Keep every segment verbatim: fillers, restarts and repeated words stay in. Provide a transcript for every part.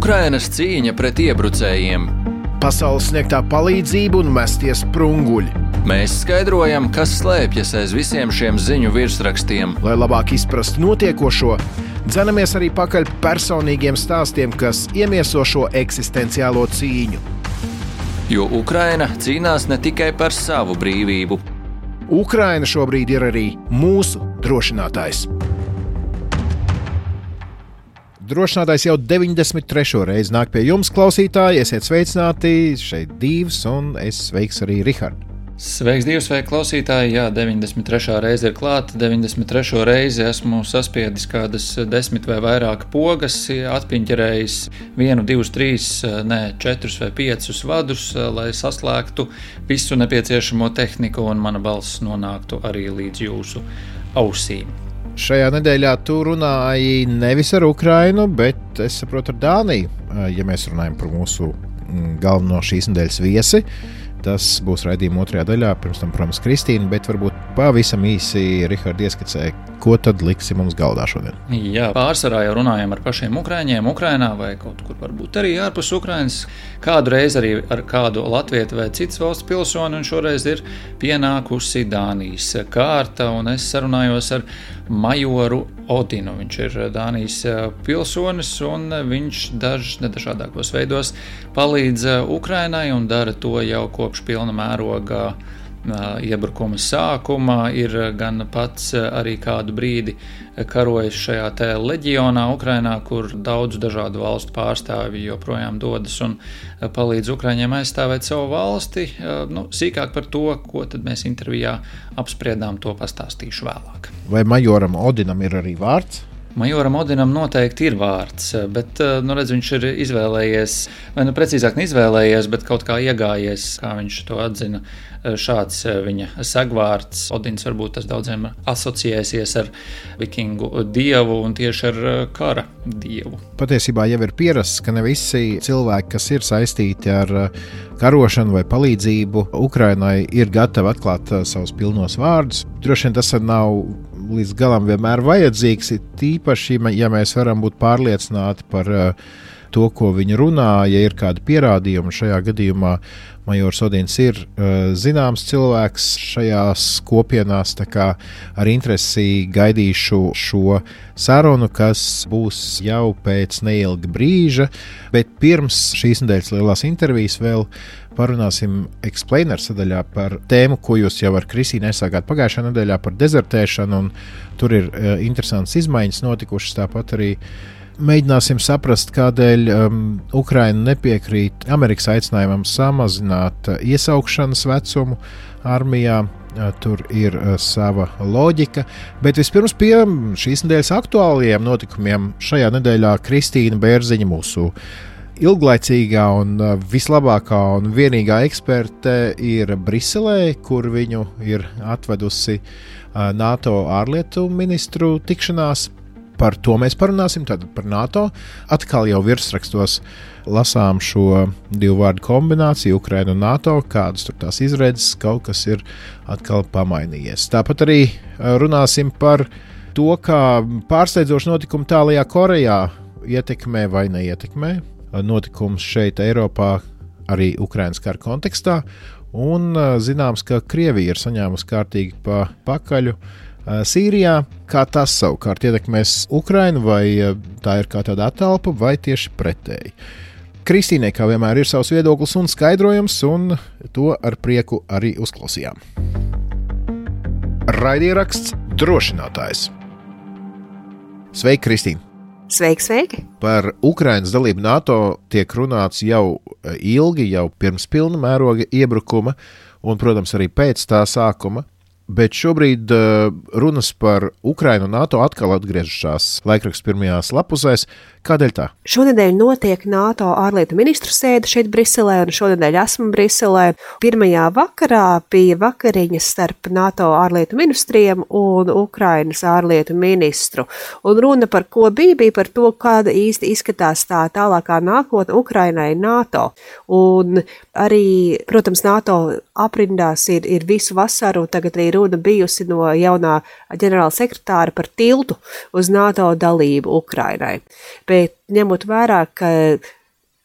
Ukrainas cīņa pret iebrucējiem. Pasaules sniegtā palīdzība un mestie sprunguļi. Mēs skaidrojam, kas slēpjas aiz visiem šiem ziņu virsrakstiem. Lai labāk izprastu notiekošo, dzenamies arī pakaļ personīgiem stāstiem, kas iemieso šo eksistenciālo cīņu. Jo Ukraina cīnās ne tikai par savu brīvību. Ukraina šobrīd ir arī mūsu drošinātājs. Drošinātājs jau deviņdesmit trešo reizi nāk pie jums, klausītāji. Esiet sveicināti, šeit Dīvs un es sveiks arī Rihardu. Sveiks, Dīvs, sveiki klausītāji. Jā, deviņdesmit trešā reize ir klāta. deviņdesmit trešo reizi esmu saspiedis kādas desmit vai vairāk pogas, atpiņķerējis vienu, divus, trīs, ne, četrus vai piecus vadus, lai saslēgtu visu nepieciešamo tehniku un mana balss nonāktu arī līdz jūsu ausīm. Šajā nedēļā tu runāji nevis ar Ukrainu, bet es saprotu ar Dāniju, ja mēs runājam par mūsu galveno šīs nedēļas viesi. Tas būs raidījuma otrajā daļā, pirms tam, protams, Kristīna, bet varbūt pavisam īsi Rihards ieskicē, ko tad liksi mums galdā šodien. Jā, pārsvarā jau runājam ar pašiem Ukraiņiem, Ukrainā vai kaut kur varbūt arī ārpus Ukrainas. Kādu reizi arī ar kādu latvietu vai citas valsts pilsoni, un šoreiz ir pienākusi Dānijas kārta, un es sarunājos ar majoru Odinu. Viņš ir Dānijas pilsonis, un viņš daž, nedažādākos veidos palīdz Ukrainai un dara to jau kopš pilna mēroga iebrukuma sākuma. Ir gan pats arī kādu brīdi karojis šajā te leģionā Ukrainā, kur daudz dažādu valstu pārstāvji joprojām dodas un palīdz Ukraiņiem aizstāvēt savu valsti. Nu, sīkāk par to, ko tad mēs intervijā apspriedām, to pastāstīšu vēlāk. Vai majoram Odinam ir arī vārds? Majoram Odinam noteikti ir vārds, bet, nu redz, viņš ir izvēlējies, vai nu precīzāk neizvēlējies, bet kaut kā iegājies, kā viņš to atzina, šāds viņa segvārds. Odins varbūt tas daudziem asociēsies ar vikingu dievu un tieši ar kara dievu. Patiesībā jau ir pierasts, ka ne visi cilvēki, kas ir saistīti ar karošanu vai palīdzību Ukrainai, ir gatavi atklāt savus pilnos vārdus. Droši vien tas nav līdz galam vienmēr vajadzīgs, tīpaši, ja mēs varam būt pārliecināti par to, ko viņi runā, ja ir kādi pierādījumi. Šajā gadījumā majors Odins ir uh, zināms cilvēks šajās kopienās, tā kā ar interesi gaidīšu šo sarunu, kas būs jau pēc neilga brīža, bet pirms šīs nedēļas lielās intervijas vēl parunāsim Explainer sadaļā par tēmu, ko jūs jau ar Kristīnu aizsākāt pagājušajā nedēļā par dezertēšanu, un tur ir uh, interesants izmaiņas notikušas, tāpat arī mēģināsim saprast, kādēļ um, Ukraina nepiekrīt Amerikas aicinājumam samazināt uh, iesaukšanas vecumu armijā. Uh, tur ir uh, sava loģika, bet vispirms pie šīs nedēļas aktuālajiem notikumiem. Šajā nedēļā Kristīna Bērziņa, mūsu ilglaicīgā un uh, vislabākā un vienīgā eksperte, ir Briselē, kur viņu ir atvedusi uh, NATO ārlietu ministru tikšanās. Par to mēs parunāsim, tātad par NATO. Atkal jau virsrakstos lasām šo divu vārdu kombināciju, Ukraina un NATO, kādas tur tās izredzes, kaut kas ir atkal pamainījies. Tāpat arī runāsim par to, kā pārsteidzoši notikumi tālajā Korejā ietekmē vai neietekmē notikums šeit Eiropā, arī Ukrainas kara kontekstā. Un zināms, ka Krievija ir saņēmusi kārtīgi pa pakaļu Sīrijā. Kā tas savukārt ietekmēs Ukrainu, vai tā ir kā tāda attelpa, vai tieši pretēji. Kristīnai, kā vienmēr, ir savs viedoklis un skaidrojums, un to ar prieku arī uzklausījām. Raidieraksts Drošinātājs. Sveiki, Kristīna! Sveiki, sveiki! Par Ukrainas dalību NATO tiek runāts jau ilgi, jau pirms pilna mēroga iebrukuma, un, protams, arī pēc tā sākuma. Bet šobrīd uh, runas par Ukrainu un NATO atkal atgriežas laikraksta pirmajās lapusēs. Kādēļ tā? Šonedēļ notiek NATO ārlietu ministru sēde šeit Briselē, un šonedēļ esmu Briselē. Pirmajā vakarā bija vakariņas starp NATO ārlietu ministriem un Ukrainas ārlietu ministru. Un runa par ko bija, bija par to, kāda īsti izskatās tā tālākā nākotne Ukrainai NATO. Un arī, protams, NATO aprindās ir, ir visu vasaru, tagad arī runa bijusi no jaunā ģenerāla sekretāra par tiltu uz NATO dalību Ukrainai. Bet ņemot vērā, ka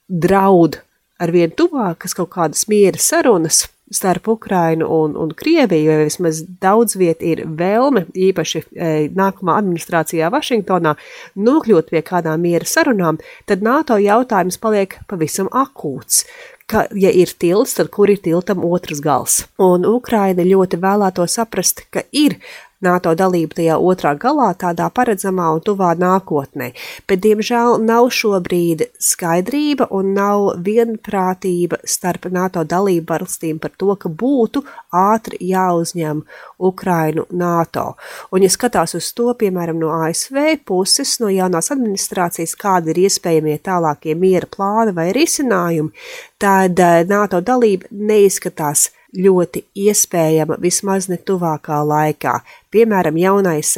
draud arvien tuvākas kaut kādas miera sarunas starp Ukrainu un, un Krieviju, jo vismaz daudz viet ir vēlme, īpaši e, nākamā administrācijā Vašingtonā, nokļūt pie kādām miera sarunām, tad NATO jautājums paliek pavisam akūts. Ka, ja ir tilts, tad kur ir tiltam otrs gals? Un Ukraina ļoti vēlēto saprast, ka ir NATO dalība tajā otrā galā tādā paredzamā un tuvā nākotnē, bet diemžēl nav šobrīd skaidrība un nav vienprātība starp NATO dalību valstīm par to, ka būtu ātri jāuzņem Ukrainu NATO. Un ja skatās uz to, piemēram, no A S V puses, no jaunās administrācijas, kādi ir iespējamie tālākie miera plāni vai risinājumi, tad NATO dalība neizskatās ļoti iespējama vismaz ne tuvākā laikā. Piemēram, jaunais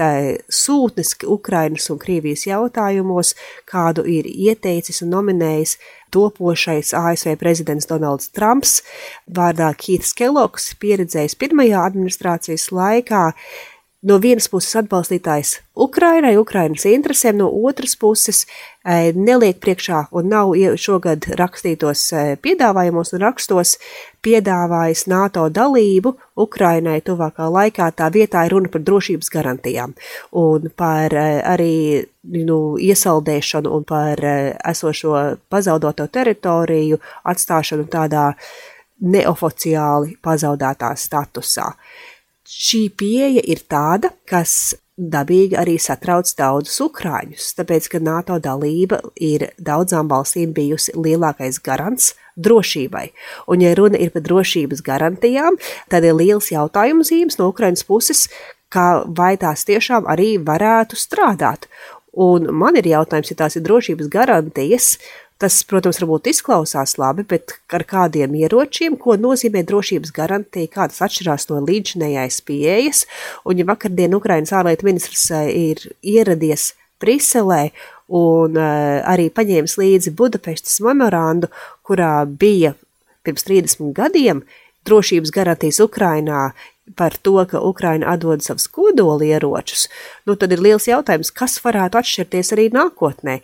sūtnis Ukrainas un Krievijas jautājumos, kādu ir ieteicis un nominējis topošais A S V prezidents Donalds Trumps, vārdā Keiths Kellogs, pieredzējis pirmajā administrācijas laikā, no vienas puses atbalstītājs Ukrainai, Ukrainas interesēm, no otras puses neliek priekšā un nav šogad rakstītos piedāvājumos un rakstos piedāvājis NATO dalību Ukrainai tuvākā laikā. Tā vietā ir runa par drošības garantijām un par arī nu, iesaldēšanu un par esošo pazaudoto teritoriju atstāšanu tādā neoficiāli pazaudētā statusā. Šī pieeja ir tāda, kas dabīgi arī satrauc daudzus ukrāņus, tāpēc, ka NATO dalība ir daudzām valstīm bijusi lielākais garants drošībai. Un, ja runa ir par drošības garantijām, tad ir liels jautājumu zīmes no Ukrainas puses, kā vai tās tiešām arī varētu strādāt. Un man ir jautājums, ja tās ir drošības garantijas, tas, protams, varbūt izklausās labi, bet ar kādiem ieročiem, ko nozīmē drošības garantija, kā tas atšķirās no līdzinējais pieejas. Un ja vakardien Ukrainas ārlietu ministrs ir ieradies Briselē un arī paņēmis līdzi Budapeštas memorandu, kurā bija pirms trīsdesmit gadiem drošības garantijas Ukrainā par to, ka Ukraina atdod savus kodolieročus, nu tad ir liels jautājums, kas varētu atšķirties arī nākotnē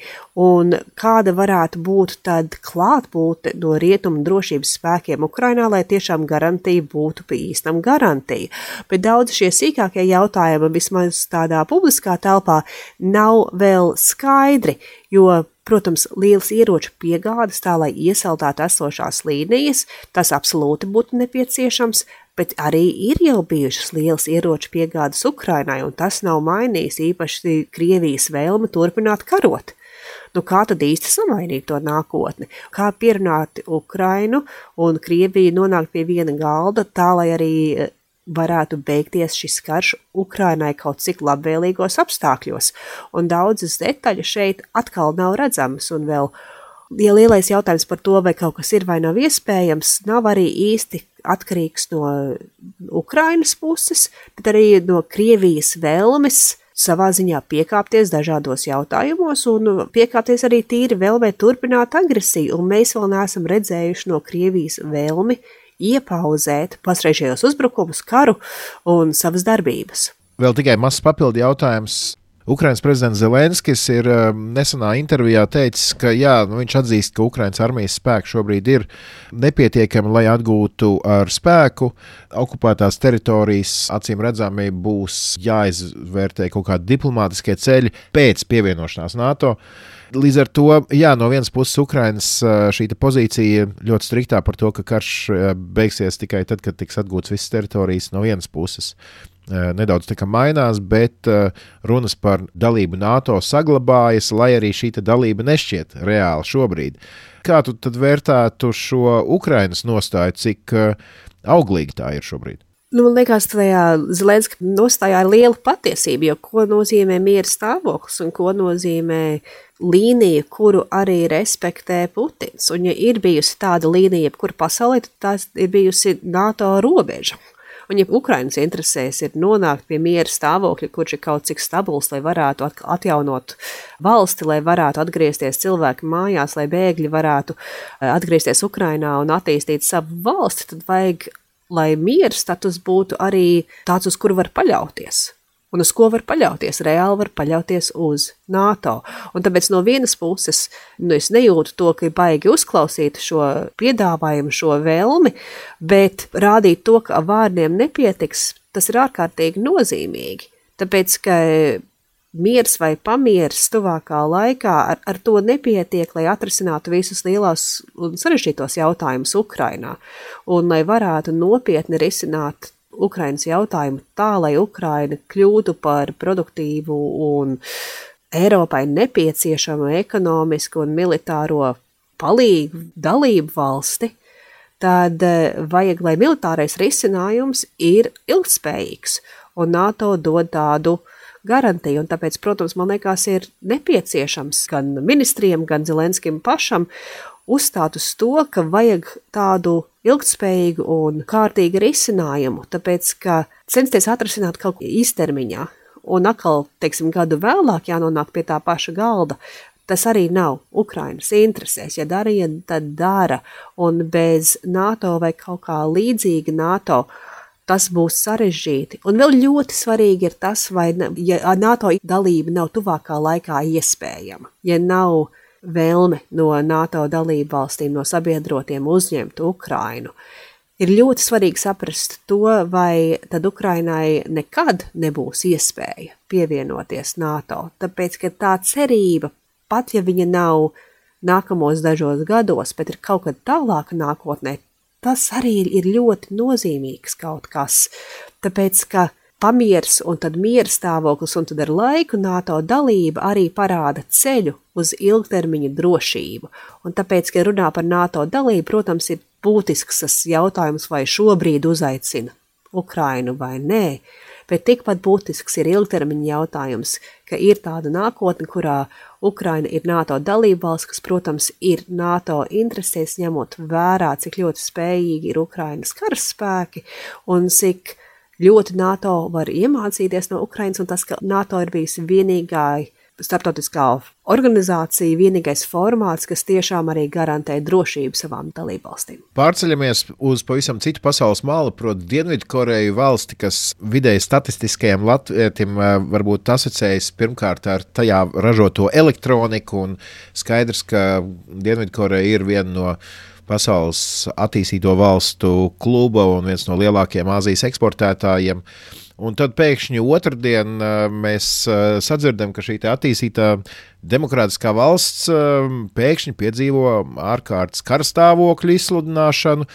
un kāda varētu būt tad klātbūtne no rietumu drošības spēkiem Ukrainā, lai tiešām garantija būtu pa īstam garantija. Bet daudz šie sīkākie jautājumi, vismaz tādā publiskā telpā, nav vēl skaidri, jo protams, liels ieroču piegādes tā, lai iesaldētu esošās līnijas, tas absolūti būtu nepieciešams, bet arī ir jau bijušas liels ieroču piegādes Ukrainai, un tas nav mainījis īpaši Krievijas vēlme turpināt karot. Nu, kā tad īsti samainīt to nākotni? Kā pierunāt Ukrainu un Krieviju nonākt pie viena galda, tā, lai arī varētu beigties šis karš Ukrainai kaut cik labvēlīgos apstākļos. Un daudzas detaļas šeit atkal nav redzamas, un vēl ja lielais jautājums par to, vai kaut kas ir vai nav iespējams, nav arī īsti atkarīgs no Ukrainas puses, bet arī no Krievijas vēlmes savā ziņā piekāpties dažādos jautājumos un piekāpties arī tīri vēlmē turpināt agresiju, un mēs vēl neesam redzējuši no Krievijas vēlmi iepauzēt pasreizējos uzbrukumus, karu un savas darbības. Vēl tikai mazs papildu jautājums. Ukrainas prezidents Zelenskis ir nesenā intervijā teicis, ka jā, nu viņš atzīst, ka Ukrainas armijas spēki šobrīd ir nepietiekami, lai atgūtu ar spēku okupētās teritorijas. Acīm redzami būs jāizvērtē kaut kādi diplomātiskie ceļi pēc pievienošanās NATO. Līdz ar to, jā, no vienas puses Ukrainas šī pozīcija ļoti striktā par to, ka karš beigsies tikai tad, kad tiks atgūts visas teritorijas no vienas puses. Nedaudz tā kā mainās, bet runas par dalību NATO saglabājas, lai arī šī dalība nešķiet reāli šobrīd. Kā tu tad vērtētu šo Ukrainas nostāju, cik auglīgi tā ir šobrīd? Nu, man liekas, tajā Zelenska nostājā ir liela patiesība, jo ko nozīmē miera stāvoklis un ko nozīmē līnija, kuru arī respektē Putins. Un ja ir bijusi tāda līnija, kur pasaulē, tad tās ir bijusi NATO robeža. Un ja Ukrainas interesēs ir nonākt pie miera stāvokļa, kurš ir kaut cik stabils, lai varētu atjaunot valsti, lai varētu atgriezties cilvēki mājās, lai bēgļi varētu atgriezties Ukrainā un attīstīt savu valsti, tad vajag lai miera status būtu arī tāds, uz kuru var paļauties. Un uz ko var paļauties? Reāli var paļauties uz NATO. Un tāpēc no vienas puses, nu, es nejūtu to, ka baigi uzklausīt šo piedāvājumu, šo vēlmi, bet rādīt to, ka vārdiem nepietiks, tas ir ārkārtīgi nozīmīgi. Tāpēc, ka miers vai pamieris tuvākā laikā ar, ar to nepietiek, lai atrisinātu visus lielās un sarežģītos jautājumus Ukrainā. Un lai varētu nopietni risināt Ukrainas jautājumu tā, lai Ukraina kļūtu par produktīvu un Eiropai nepieciešamu ekonomisku un militāro palīgu dalību valsti, tad vajag, lai militārais risinājums ir ilgtspējīgs, un NATO dod tādu garantiju, un tāpēc, protams, man liekas, ir nepieciešams gan ministriem, gan Zelenskim pašam uzstāt uz to, ka vajag tādu ilgtspējīgu un kārtīgu risinājumu, tāpēc, ka censties atrisināt kaut ko īstermiņā, un atkal, teiksim, gadu vēlāk jānonāk pie tā paša galda, tas arī nav Ukrainas interesēs. Ja darīja, tad dara, un bez NATO vai kaut kā līdzīga NATO, tas būs sarežģīti. Un vēl ļoti svarīgi ir tas, vai ja NATO dalība nav tuvākā laikā iespējama. Ja nav vēlme no NATO dalību valstīm, no sabiedrotiem uzņemt Ukrainu, ir ļoti svarīgi saprast to, vai tad Ukrainai nekad nebūs iespēja pievienoties NATO. Tāpēc, ka tā cerība, pat ja viņa nav nākamos dažos gados, bet ir kaut kad tālāka nākotnē, tas arī ir ļoti nozīmīgs kaut kas, tāpēc, ka pamieris un tad miera stāvoklis un tad ar laiku NATO dalība arī parāda ceļu uz ilgtermiņa drošību. Un tāpēc, ka runā par NATO dalību, protams, ir būtisks tas jautājums, vai šobrīd uzaicina Ukrainu vai nē, bet tikpat būtisks ir ilgtermiņa jautājums, ka ir tāda nākotne, kurā Ukraina ir NATO dalība valsts, kas, protams, ir NATO interesēs, ņemot vērā, cik ļoti spējīgi ir Ukrainas karaspēki un cik ļoti NATO var iemācīties no Ukrainas, un tas, ka NATO ir bijusi vienīgā starptautiskā organizācija, vienīgais formāts, kas tiešām arī garantē drošību savām dalībvalstīm. Pārceļamies uz pavisam citu pasaules malu, proti Dienvidkoreju valsti, kas vidēji statistiskajam latvietim varbūt asociējas pirmkārt ar tajā ražoto elektroniku, un skaidrs, ka Dienvidkoreja ir viena no pasaules attīstīto valstu kluba un viens no lielākajiem Āzijas eksportētājiem. Un tad pēkšņi otrdien mēs sadzirdam, ka šī attīstītā demokrātiskā valsts pēkšņi piedzīvo ārkārtas karstāvokļu izsludināšanu.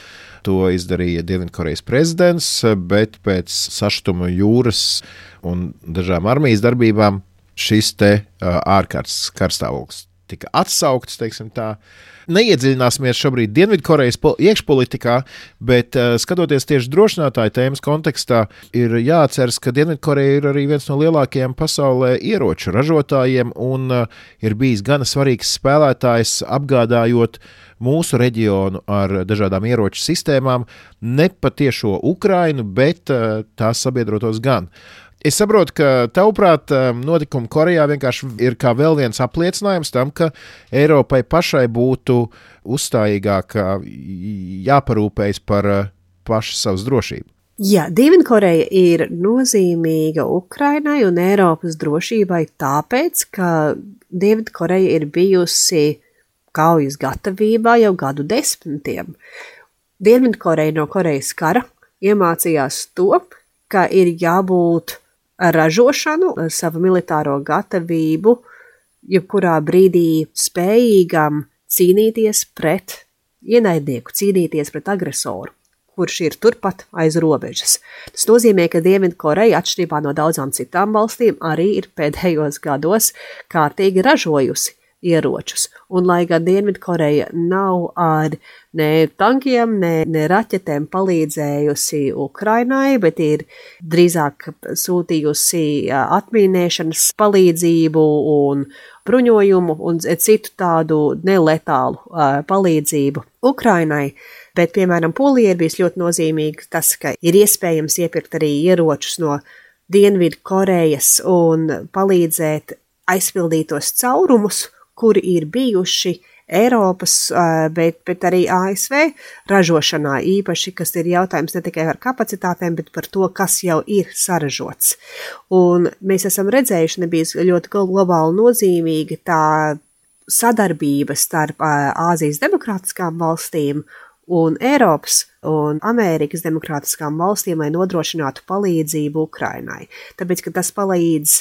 To izdarīja Dienvidkorejas prezidents, bet pēc sašutuma jūras un dažām armijas darbībām šis te ārkārtas karstāvoklis tika atsaukts, teiksim tā. Neiedziļināsimies šobrīd Dienvidkorejas iekšpolitikā, bet uh, skatoties tieši drošinātāju tēmas kontekstā, ir jāatceras, ka Dienvidkoreja ir arī viens no lielākajiem pasaulē ieroču ražotājiem un uh, ir bijis gana svarīgs spēlētājs apgādājot mūsu reģionu ar dažādām ieroču sistēmām, ne patiešo Ukrainu, bet uh, tās sabiedrotos gan. Es saprotu, ka tavuprāt notikumi Korejā vienkārši ir kā vēl viens apliecinājums tam, ka Eiropai pašai būtu uzstājīgāk jāparūpējas par pašu savas drošību. Jā, Dienvidkoreja ir nozīmīga Ukrainai un Eiropas drošībai tāpēc, ka Dienvidkoreja ir bijusi kaujas gatavībā jau gadu desmitiem. Dienvidkoreja no Korejas kara iemācījās to, ka ir jābūt ražošanu, savu militāro gatavību, jebkurā brīdī spējīgam cīnīties pret ienaidnieku, cīnīties pret agresoru, kurš ir turpat aiz robežas. Tas nozīmē, ka Dienvidkoreja, atšķirībā no daudzām citām valstīm, arī ir pēdējos gados kārtīgi ražojusi ieročus. Un lai gan Dienvidkoreja nav ar ne tankiem, ne, ne raķetēm palīdzējusi Ukrainai, bet ir drīzāk sūtījusi atmīnēšanas palīdzību un bruņojumu un citu tādu neletālu palīdzību Ukrainai. Bet, piemēram, Polija ir bijis ļoti nozīmīgi tas, ka ir iespējams iepirkt arī ieročus no Dienvidkorejas un palīdzēt aizpildīt tos caurumus, kuri ir bijuši Eiropas, bet, bet arī A S V ražošanā īpaši, kas ir jautājums ne tikai par kapacitātēm, bet par to, kas jau ir saražots. Un mēs esam redzējuši, nebija ļoti globāli nozīmīga tā sadarbība starp Āzijas demokrātiskām valstīm un Eiropas un Amerikas demokrātiskām valstīm, lai nodrošinātu palīdzību Ukrainai. Tāpēc, ka tas palīdz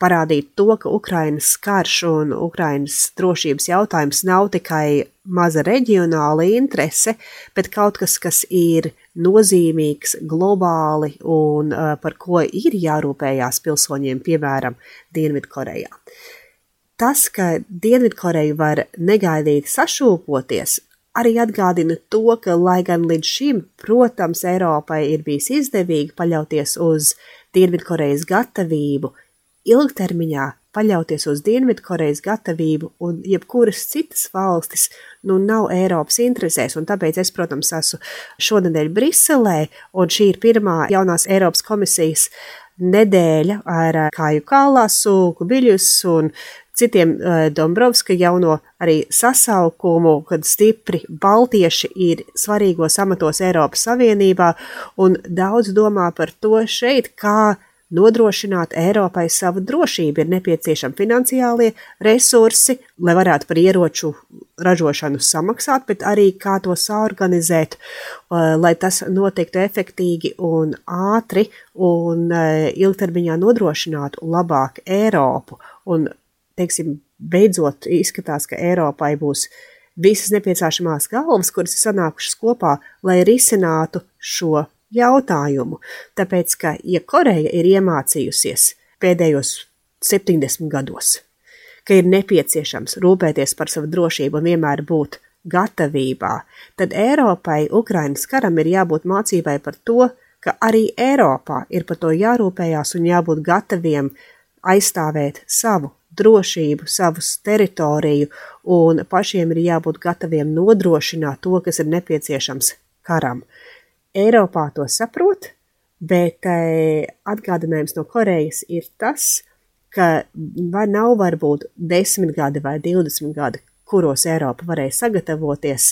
parādīt to, ka Ukrainas karš un Ukrainas drošības jautājums nav tikai maza reģionāla interese, bet kaut kas, kas ir nozīmīgs globāli un uh, par ko ir jārūpējās pilsoņiem, piemēram, Dienvidkorejā. Tas, ka Dienvidkoreja var negaidīti sašūpoties, arī atgādina to, ka, lai gan līdz šim, protams, Eiropai ir bijis izdevīgi paļauties uz Dienvidkorejas gatavību, ilgtermiņā paļauties uz Dienvidkorejas gatavību un jebkuras citas valstis nu nav Eiropas interesēs, un tāpēc es, protams, esmu šonedēļ Briselē, un šī ir pirmā jaunās Eiropas komisijas nedēļa ar Kāju Kallasu, Kubiļus un citiem Dombrovska jauno arī sasaukumu, kad stipri baltieši ir svarīgos amatos Eiropas Savienībā, un daudz domā par to šeit, kā nodrošināt Eiropai savu drošību. Ir nepieciešami finansiālie resursi, lai varētu par ieroču ražošanu samaksāt, bet arī kā to saorganizēt, lai tas notiktu efektīgi un ātri un ilgtermiņā nodrošinātu labāk Eiropu. Un, teiksim, beidzot izskatās, ka Eiropai būs visas nepieciešamās galvas, kuras ir sanākušas kopā, lai risinātu šo jautājumu, tāpēc, ka, ja Koreja ir iemācījusies pēdējos septiņdesmit gados, ka ir nepieciešams rūpēties par savu drošību un vienmēr būt gatavībā, tad Eiropai Ukrainas karam ir jābūt mācībai par to, ka arī Eiropā ir par to jārūpējās un jābūt gataviem aizstāvēt savu drošību, savus teritoriju, un pašiem ir jābūt gataviem nodrošināt to, kas ir nepieciešams karam. Eiropā to saprot, bet atgādinājums no Korejas ir tas, ka vai nav varbūt desmit gadi vai divdesmit gadi, kuros Eiropa varēja sagatavoties,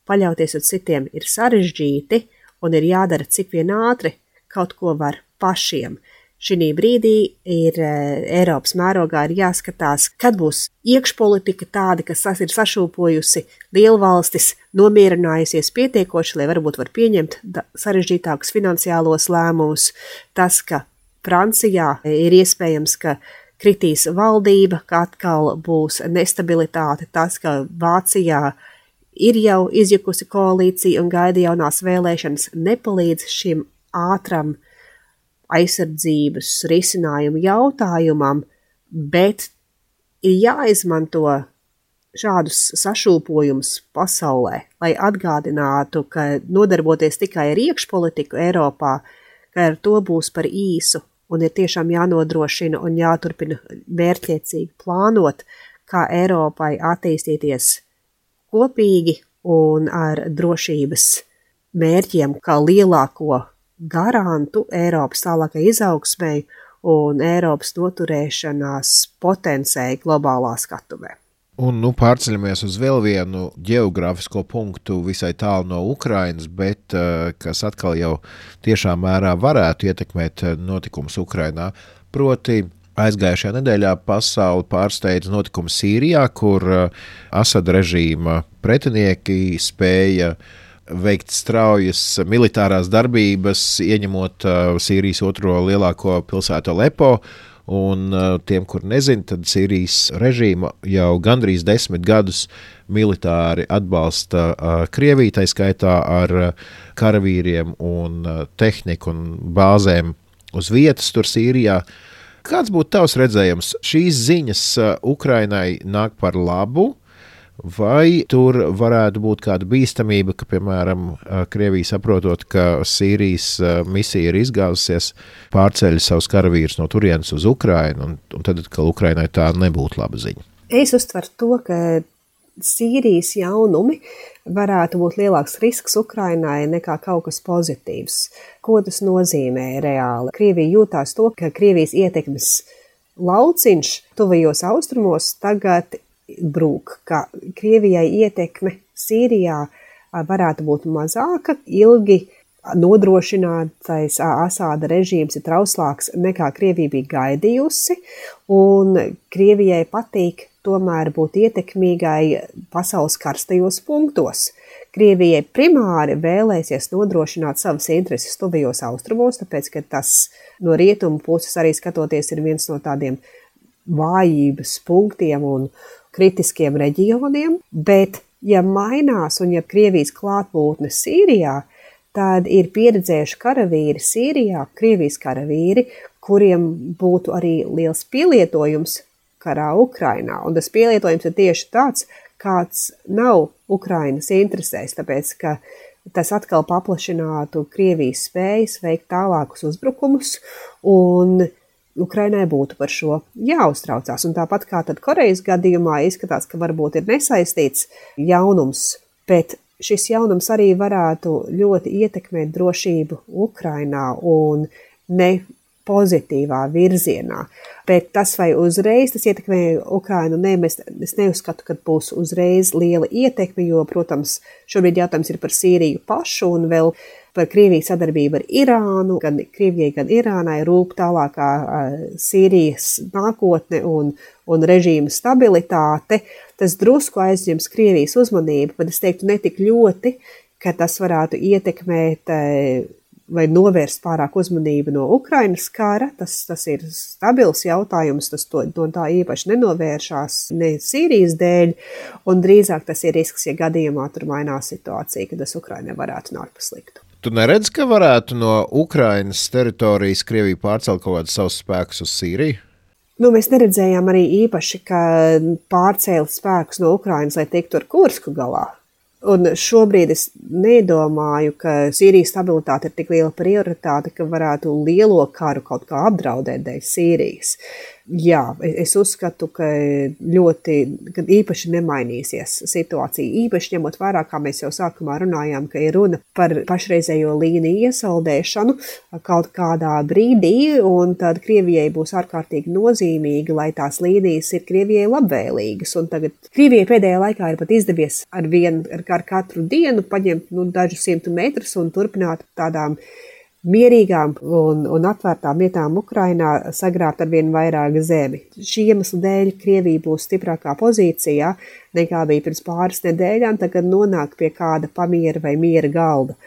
paļauties uz citiem ir sarežģīti un ir jādara cik vien ātri, kaut ko var pašiem. Šī brīdī ir Eiropas mērogā ir jāskatās, kad būs iekšpolitika tāda, kas ir sašūpojusi lielvalstis, nomierinājusies pietiekoši, lai varbūt var pieņemt sarežģītākus finansiālos lēmumus. Tas, ka Francijā ir iespējams, ka kritīs valdība, ka atkal būs nestabilitāte, tas, ka Vācijā ir jau izjukusi koalīcija un gaida jaunās vēlēšanas, nepalīdz šim ātram aizsardzības risinājumu jautājumam, bet ir jāizmanto šādus sašūpojumus pasaulē, lai atgādinātu, ka nodarboties tikai ar iekšpolitiku Eiropā, ka ar to būs par īsu un ir tiešām jānodrošina un jāturpina mērķiecīgi plānot, kā Eiropai attīstīties kopīgi un ar drošības mērķiem, kā lielāko garantu Eiropas tālākai izaugsmei un Eiropas noturēšanās potenciāli globālā skatuvē. Un nu pārceļamies uz vēl vienu ģeogrāfisko punktu visai tālu no Ukrainas, bet kas atkal jau tiešā mērā varētu ietekmēt notikumus Ukrainā. Proti aizgājušajā nedēļā pasauli pārsteidza notikumi Sīrijā, kur Asada režīma pretinieki spēja veikt straujas militārās darbības, ieņemot Sīrijas otro lielāko pilsētu Alepo. Un tiem, kur nezin, tad Sīrijas režīma jau gandrīz desmit gadus militāri atbalsta Krieviju, tai skaitā ar karavīriem un tehniku un bāzēm uz vietas tur Sīrijā. Kāds būtu tavs redzējums? Šīs ziņas Ukrainai nāk par labu, vai tur varētu būt kāda bīstamība, ka, piemēram, Krievija saprotot, ka Sīrijas misija ir izgāzusies, pārceļ savus karavīrus no turienes uz Ukrainu, un, un tad, ka Ukrainai tā nebūtu laba ziņa? Es uztveru to, ka Sīrijas jaunumi varētu būt lielāks risks Ukrainai nekā kaut kas pozitīvs. Ko tas nozīmē reāli? Krievija jūtās to, ka Krievijas ietekmes lauciņš tuvajos austrumos tagad piebrūk, ka Krievijai ietekme Sīrijā varētu būt mazāka, ilgi nodrošinātais Asāda režīms ir trauslāks nekā Krievija bija gaidījusi, un Krievijai patīk tomēr būt ietekmīgai pasaules karstajos punktos. Krievijai primāri vēlēsies nodrošināt savas intereses tuvajos austrumos, tāpēc, ka tas no rietumu puses arī skatoties ir viens no tādiem vājības punktiem un kritiskiem reģioniem, bet ja mainās un ja Krievijas klātbūtne Sīrijā, tad ir pieredzējuši karavīri Sīrijā, Krievijas karavīri, kuriem būtu arī liels pielietojums karā Ukrainā. Un tas pielietojums ir tieši tāds, kāds nav Ukrainas interesēs, tāpēc, ka tas atkal paplašinātu Krievijas spējas veikt tālākus uzbrukumus, un Ukrainai būtu par šo jāuztraucās. Un tāpat kā tad Korejas gadījumā izskatās, ka varbūt ir nesaistīts jaunums, bet šis jaunums arī varētu ļoti ietekmēt drošību Ukrainā un ne pozitīvā virzienā. Bet tas vai uzreiz tas ietekmē Ukrainu, ne, mēs, es neuzskatu, ka būs uzreiz liela ietekme, jo, protams, šobrīd jautājums ir par Sīriju pašu un vēl par Krievijas sadarbību ar Irānu. Gan Krievijai, gan Irānai rūp tālākā Sīrijas nākotne un, un režīma stabilitāte. Tas drusku aizņems Krievijas uzmanību, bet es teiktu ne tik ļoti, ka tas varētu ietekmēt vai novērst pārāk uzmanību no Ukrainas kara. Tas, tas ir stabils jautājums, tas to, to tā īpaši nenovēršās ne Sīrijas dēļ, un drīzāk tas ir risks, ja gadījumā tur mainās situācija, ka tas Ukrainai varētu nākt pa sliktu. Tu neredz, ka varētu no Ukrainas teritorijas Krievija pārcelt kaut kādus savus spēkus uz Sīriju? Nu, mēs neredzējām arī īpaši, ka pārcēla spēkus no Ukrainas, lai tiktu ar Kursku galā. Un šobrīd es nedomāju, ka Sīrijas stabilitāte ir tik liela prioritāte, ka varētu lielo karu kaut kā apdraudēt dēļ Sīrijas. Jā, es uzskatu, ka ļoti, ka īpaši nemainīsies situācija. Īpaši ņemot vērā, kā mēs jau sākumā runājām, ka ir runa par pašreizējo līniju iesaldēšanu kaut kādā brīdī, un tad Krievijai būs ārkārtīgi nozīmīgi, lai tās līnijas ir Krievijai labvēlīgas. Un tagad Krievijai pēdējā laikā ir pat izdevies ar, vien, ar katru dienu paņemt nu, dažu simtu metrus un turpināt tādām mierīgām un, un atvērtām vietām Ukrainā sagrābt ar vien vairāk zemi. Šī iemesla dēļ Krievija būs stiprākā pozīcijā nekā bija pirms pāris nedēļām, tagad nonāk pie kāda pamiera vai miera galda.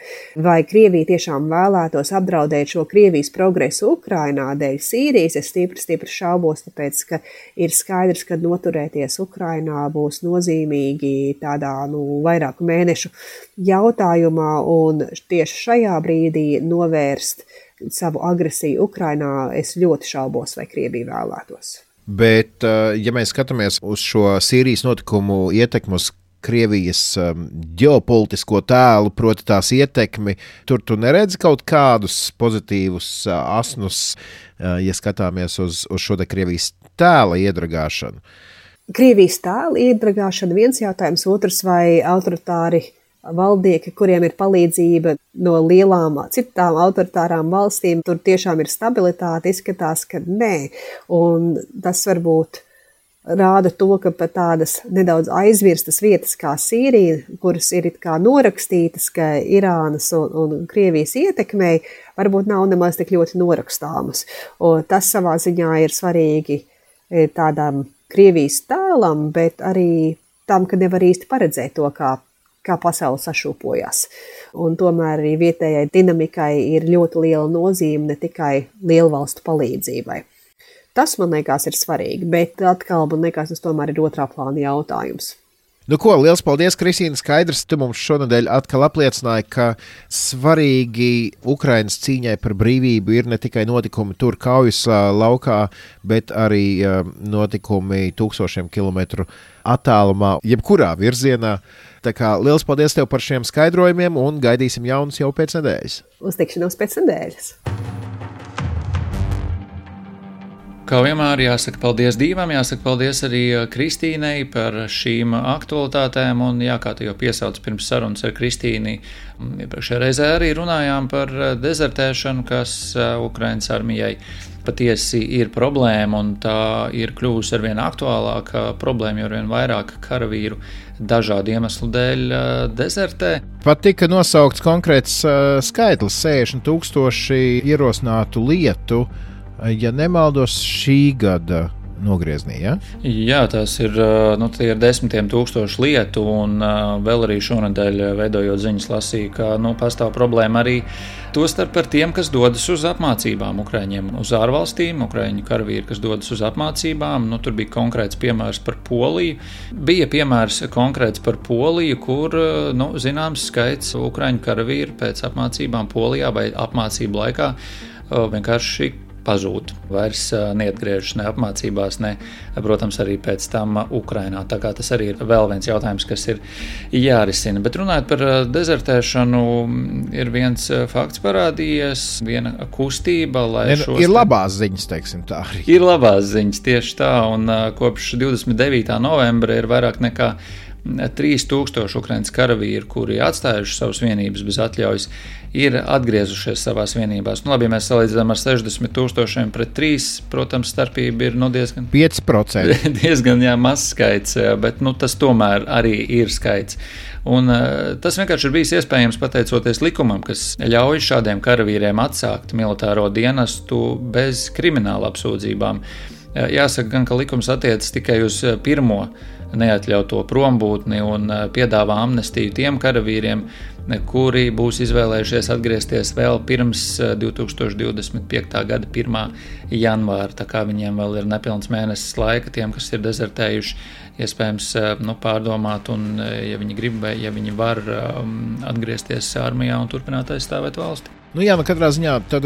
Vai Krievija tiešām vēlētos apdraudēt šo Krievijas progresu Ukrainā dēļ Sīrijas? Es stipri, stipri šaubos, tāpēc, ka ir skaidrs, ka noturēties Ukrainā būs nozīmīgi tādā nu, vairāku mēnešu jautājumā, un tieši šajā brīdī novērst savu agresiju Ukrainā es ļoti šaubos, vai Krievija vēlētos. Bet, ja mēs skatāmies uz šo Sīrijas notikumu ietekmu uz Krievijas ģeopolitisko tēlu, proti tās ietekmi, tur tu neredzi kaut kādus pozitīvus asnus, ja skatāmies uz, uz šo te Krievijas tēla iedragāšanu? Krievijas tēla iedragāšana viens jautājums, otrs vai autoritāri valdnieki, kuriem ir palīdzība no lielām citām autoritārām valstīm, tur tiešām ir stabilitāte, izskatās, ka nē. Un tas varbūt rāda to, ka pat tādas nedaudz aizvirstas vietas kā Sīrija, kuras ir it kā norakstītas, ka Irānas un, un Krievijas ietekmei, varbūt nav nemaz tik ļoti norakstāmas. Un tas savā ziņā ir svarīgi tādām Krievijas tēlam, bet arī tam, ka nevar īsti paredzēt to, kā kā pasaule sašūpojās. Un tomēr arī vietējai dinamikai ir ļoti liela nozīme ne tikai lielvalstu palīdzībai. Tas, man liekas, ir svarīgi, bet atkal, man liekas, tas tomēr ir otrā plāna jautājums. Nu ko, liels paldies, Kristīna. Skaidrs, tu mums šonadēļ atkal apliecināji, ka svarīgi Ukrainas cīņai par brīvību ir ne tikai notikumi tur kaujas laukā, bet arī notikumi tūkstošiem kilometru attālumā, jebkurā virzienā. Tā kā liels paldies tev par šiem skaidrojumiem un gaidīsim jaunus jau pēc nedēļas. Uz tikšanos pēc nedēļas. Kā vienmēr jāsaka paldies Dīvam, jāsaka paldies arī Kristīnei par šīm aktualitātēm, un jā, kā tu jau piesauc pirms sarunas ar Kristīni, iepriekšējā reizē arī runājām par dezertēšanu, kas Ukrainas armijai patiesi ir problēma, un tā ir kļuvusi arvien aktuālāka problēma, jo arvien vairāk karavīru dažādu iemeslu dēļ dezertē. Pat tika nosaukts konkrēts skaitlis - sešdesmit tūkstoši ierosinātu lietu, ja nemaldos, šī gada nogrieznī, ja? Jā, tas ir, nu, tie ir desmitiem tūkstoši lietu, un vēl arī šonadēļ veidojot ziņas lasīju, ka, nu, pastāv problēma arī tostarp par tiem, kas dodas uz apmācībām Ukraiņiem, uz ārvalstīm, Ukraiņu karavīri, kas dodas uz apmācībām. Nu, tur bija konkrēts piemērs par Poliju. Bija piemērs konkrēts par Poliju, kur, nu, zināms skaits Ukraiņu karavīru pēc apmācībām Polijā vai apmācību laikā vienkārši pazūd. Vairs neatgriežas ne apmācībās, ne, protams, arī pēc tam Ukrainā. Tā kā tas arī ir vēl viens jautājums, kas ir jārisina. Bet runājot par dezertēšanu, ir viens fakts parādījies, viena kustība, lai ne, šos... Ir labās ziņas, teiksim tā arī. Ir labās ziņas, tieši tā, un kopš divdesmit devītā novembra ir vairāk nekā trīs tūkstoši Ukrainas karavīri, kuri atstājuši savas vienības bez atļaujas, ir atgriezušies savās vienībās. Nu, labi, ja mēs salīdzinām ar sešdesmit tūkstošiem pret trīs, protams, starpība ir nu, diezgan, pieci procenti. diezgan jā, mazs skaits, bet nu, tas tomēr arī ir skaits. Un tas vienkārši ir bijis iespējams pateicoties likumam, kas ļauj šādiem karavīriem atsākt militāro dienestu bez krimināla apsūdzībām. Jāsaka gan, ka likums attiecas tikai uz pirmo neatļauto prombūtni un piedāvā amnestiju tiem karavīriem, kuri būs izvēlējušies atgriezties vēl pirms divi tūkstoši divdesmit piekta gada pirmā janvāra, tā kā viņiem vēl ir nepilns mēnesis laika, tiem, kas ir dezertējuši, iespējams nu, pārdomāt, un ja viņi grib vai ja viņi var atgriezties armijā un turpināt aizstāvēt valsti. Nu jā, nu katrā ziņā tad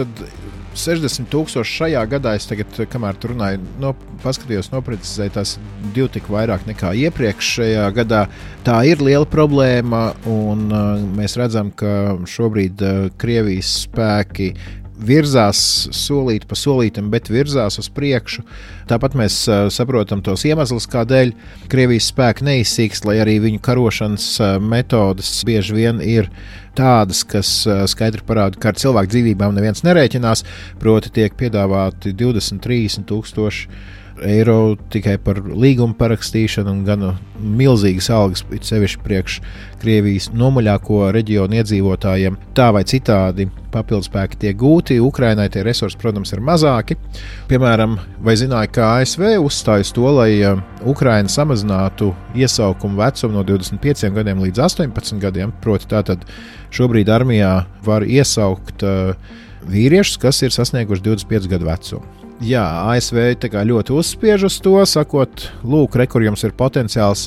sešdesmit tūkstoši šajā gadā, es tagad, kamēr tu runāju, no, paskatījos, noprecizēju, tās divi tik vairāk nekā iepriekšējā gadā. Tā ir liela problēma, un uh, mēs redzam, ka šobrīd uh, Krievijas spēki virzās solīt pa solītam, bet virzās uz priekšu. Tāpat mēs uh, saprotam tos iemeslus, kādēļ Krievijas spēki neizsīkst, lai arī viņu karošanas uh, metodes bieži vien ir tādas, kas uh, skaidri parāda, ka ar cilvēku dzīvībām neviens nerēķinās, proti tiek piedāvāti divdesmit trīsdesmit tūkstoši eiro tikai par līgumu parakstīšanu un gan milzīgas algas, it sevišķi priekš Krievijas nomaļāko reģionu iedzīvotājiem. Tā vai citādi papildspēki tiek gūti, Ukrainai tie resursi, protams, ir mazāki. Piemēram, vai zināja, ka A S V uzstājas to, lai Ukraina samazinātu iesaukumu vecumu no divdesmit pieciem gadiem līdz astoņpadsmit gadiem, proti tātad šobrīd armijā var iesaukt uh, vīriešus, kas ir sasnieguši divdesmit pieci gadu vecumu. Jā, A S V ļoti uzspiež uz to, sakot, lūk, re, kur jums ir potenciāls,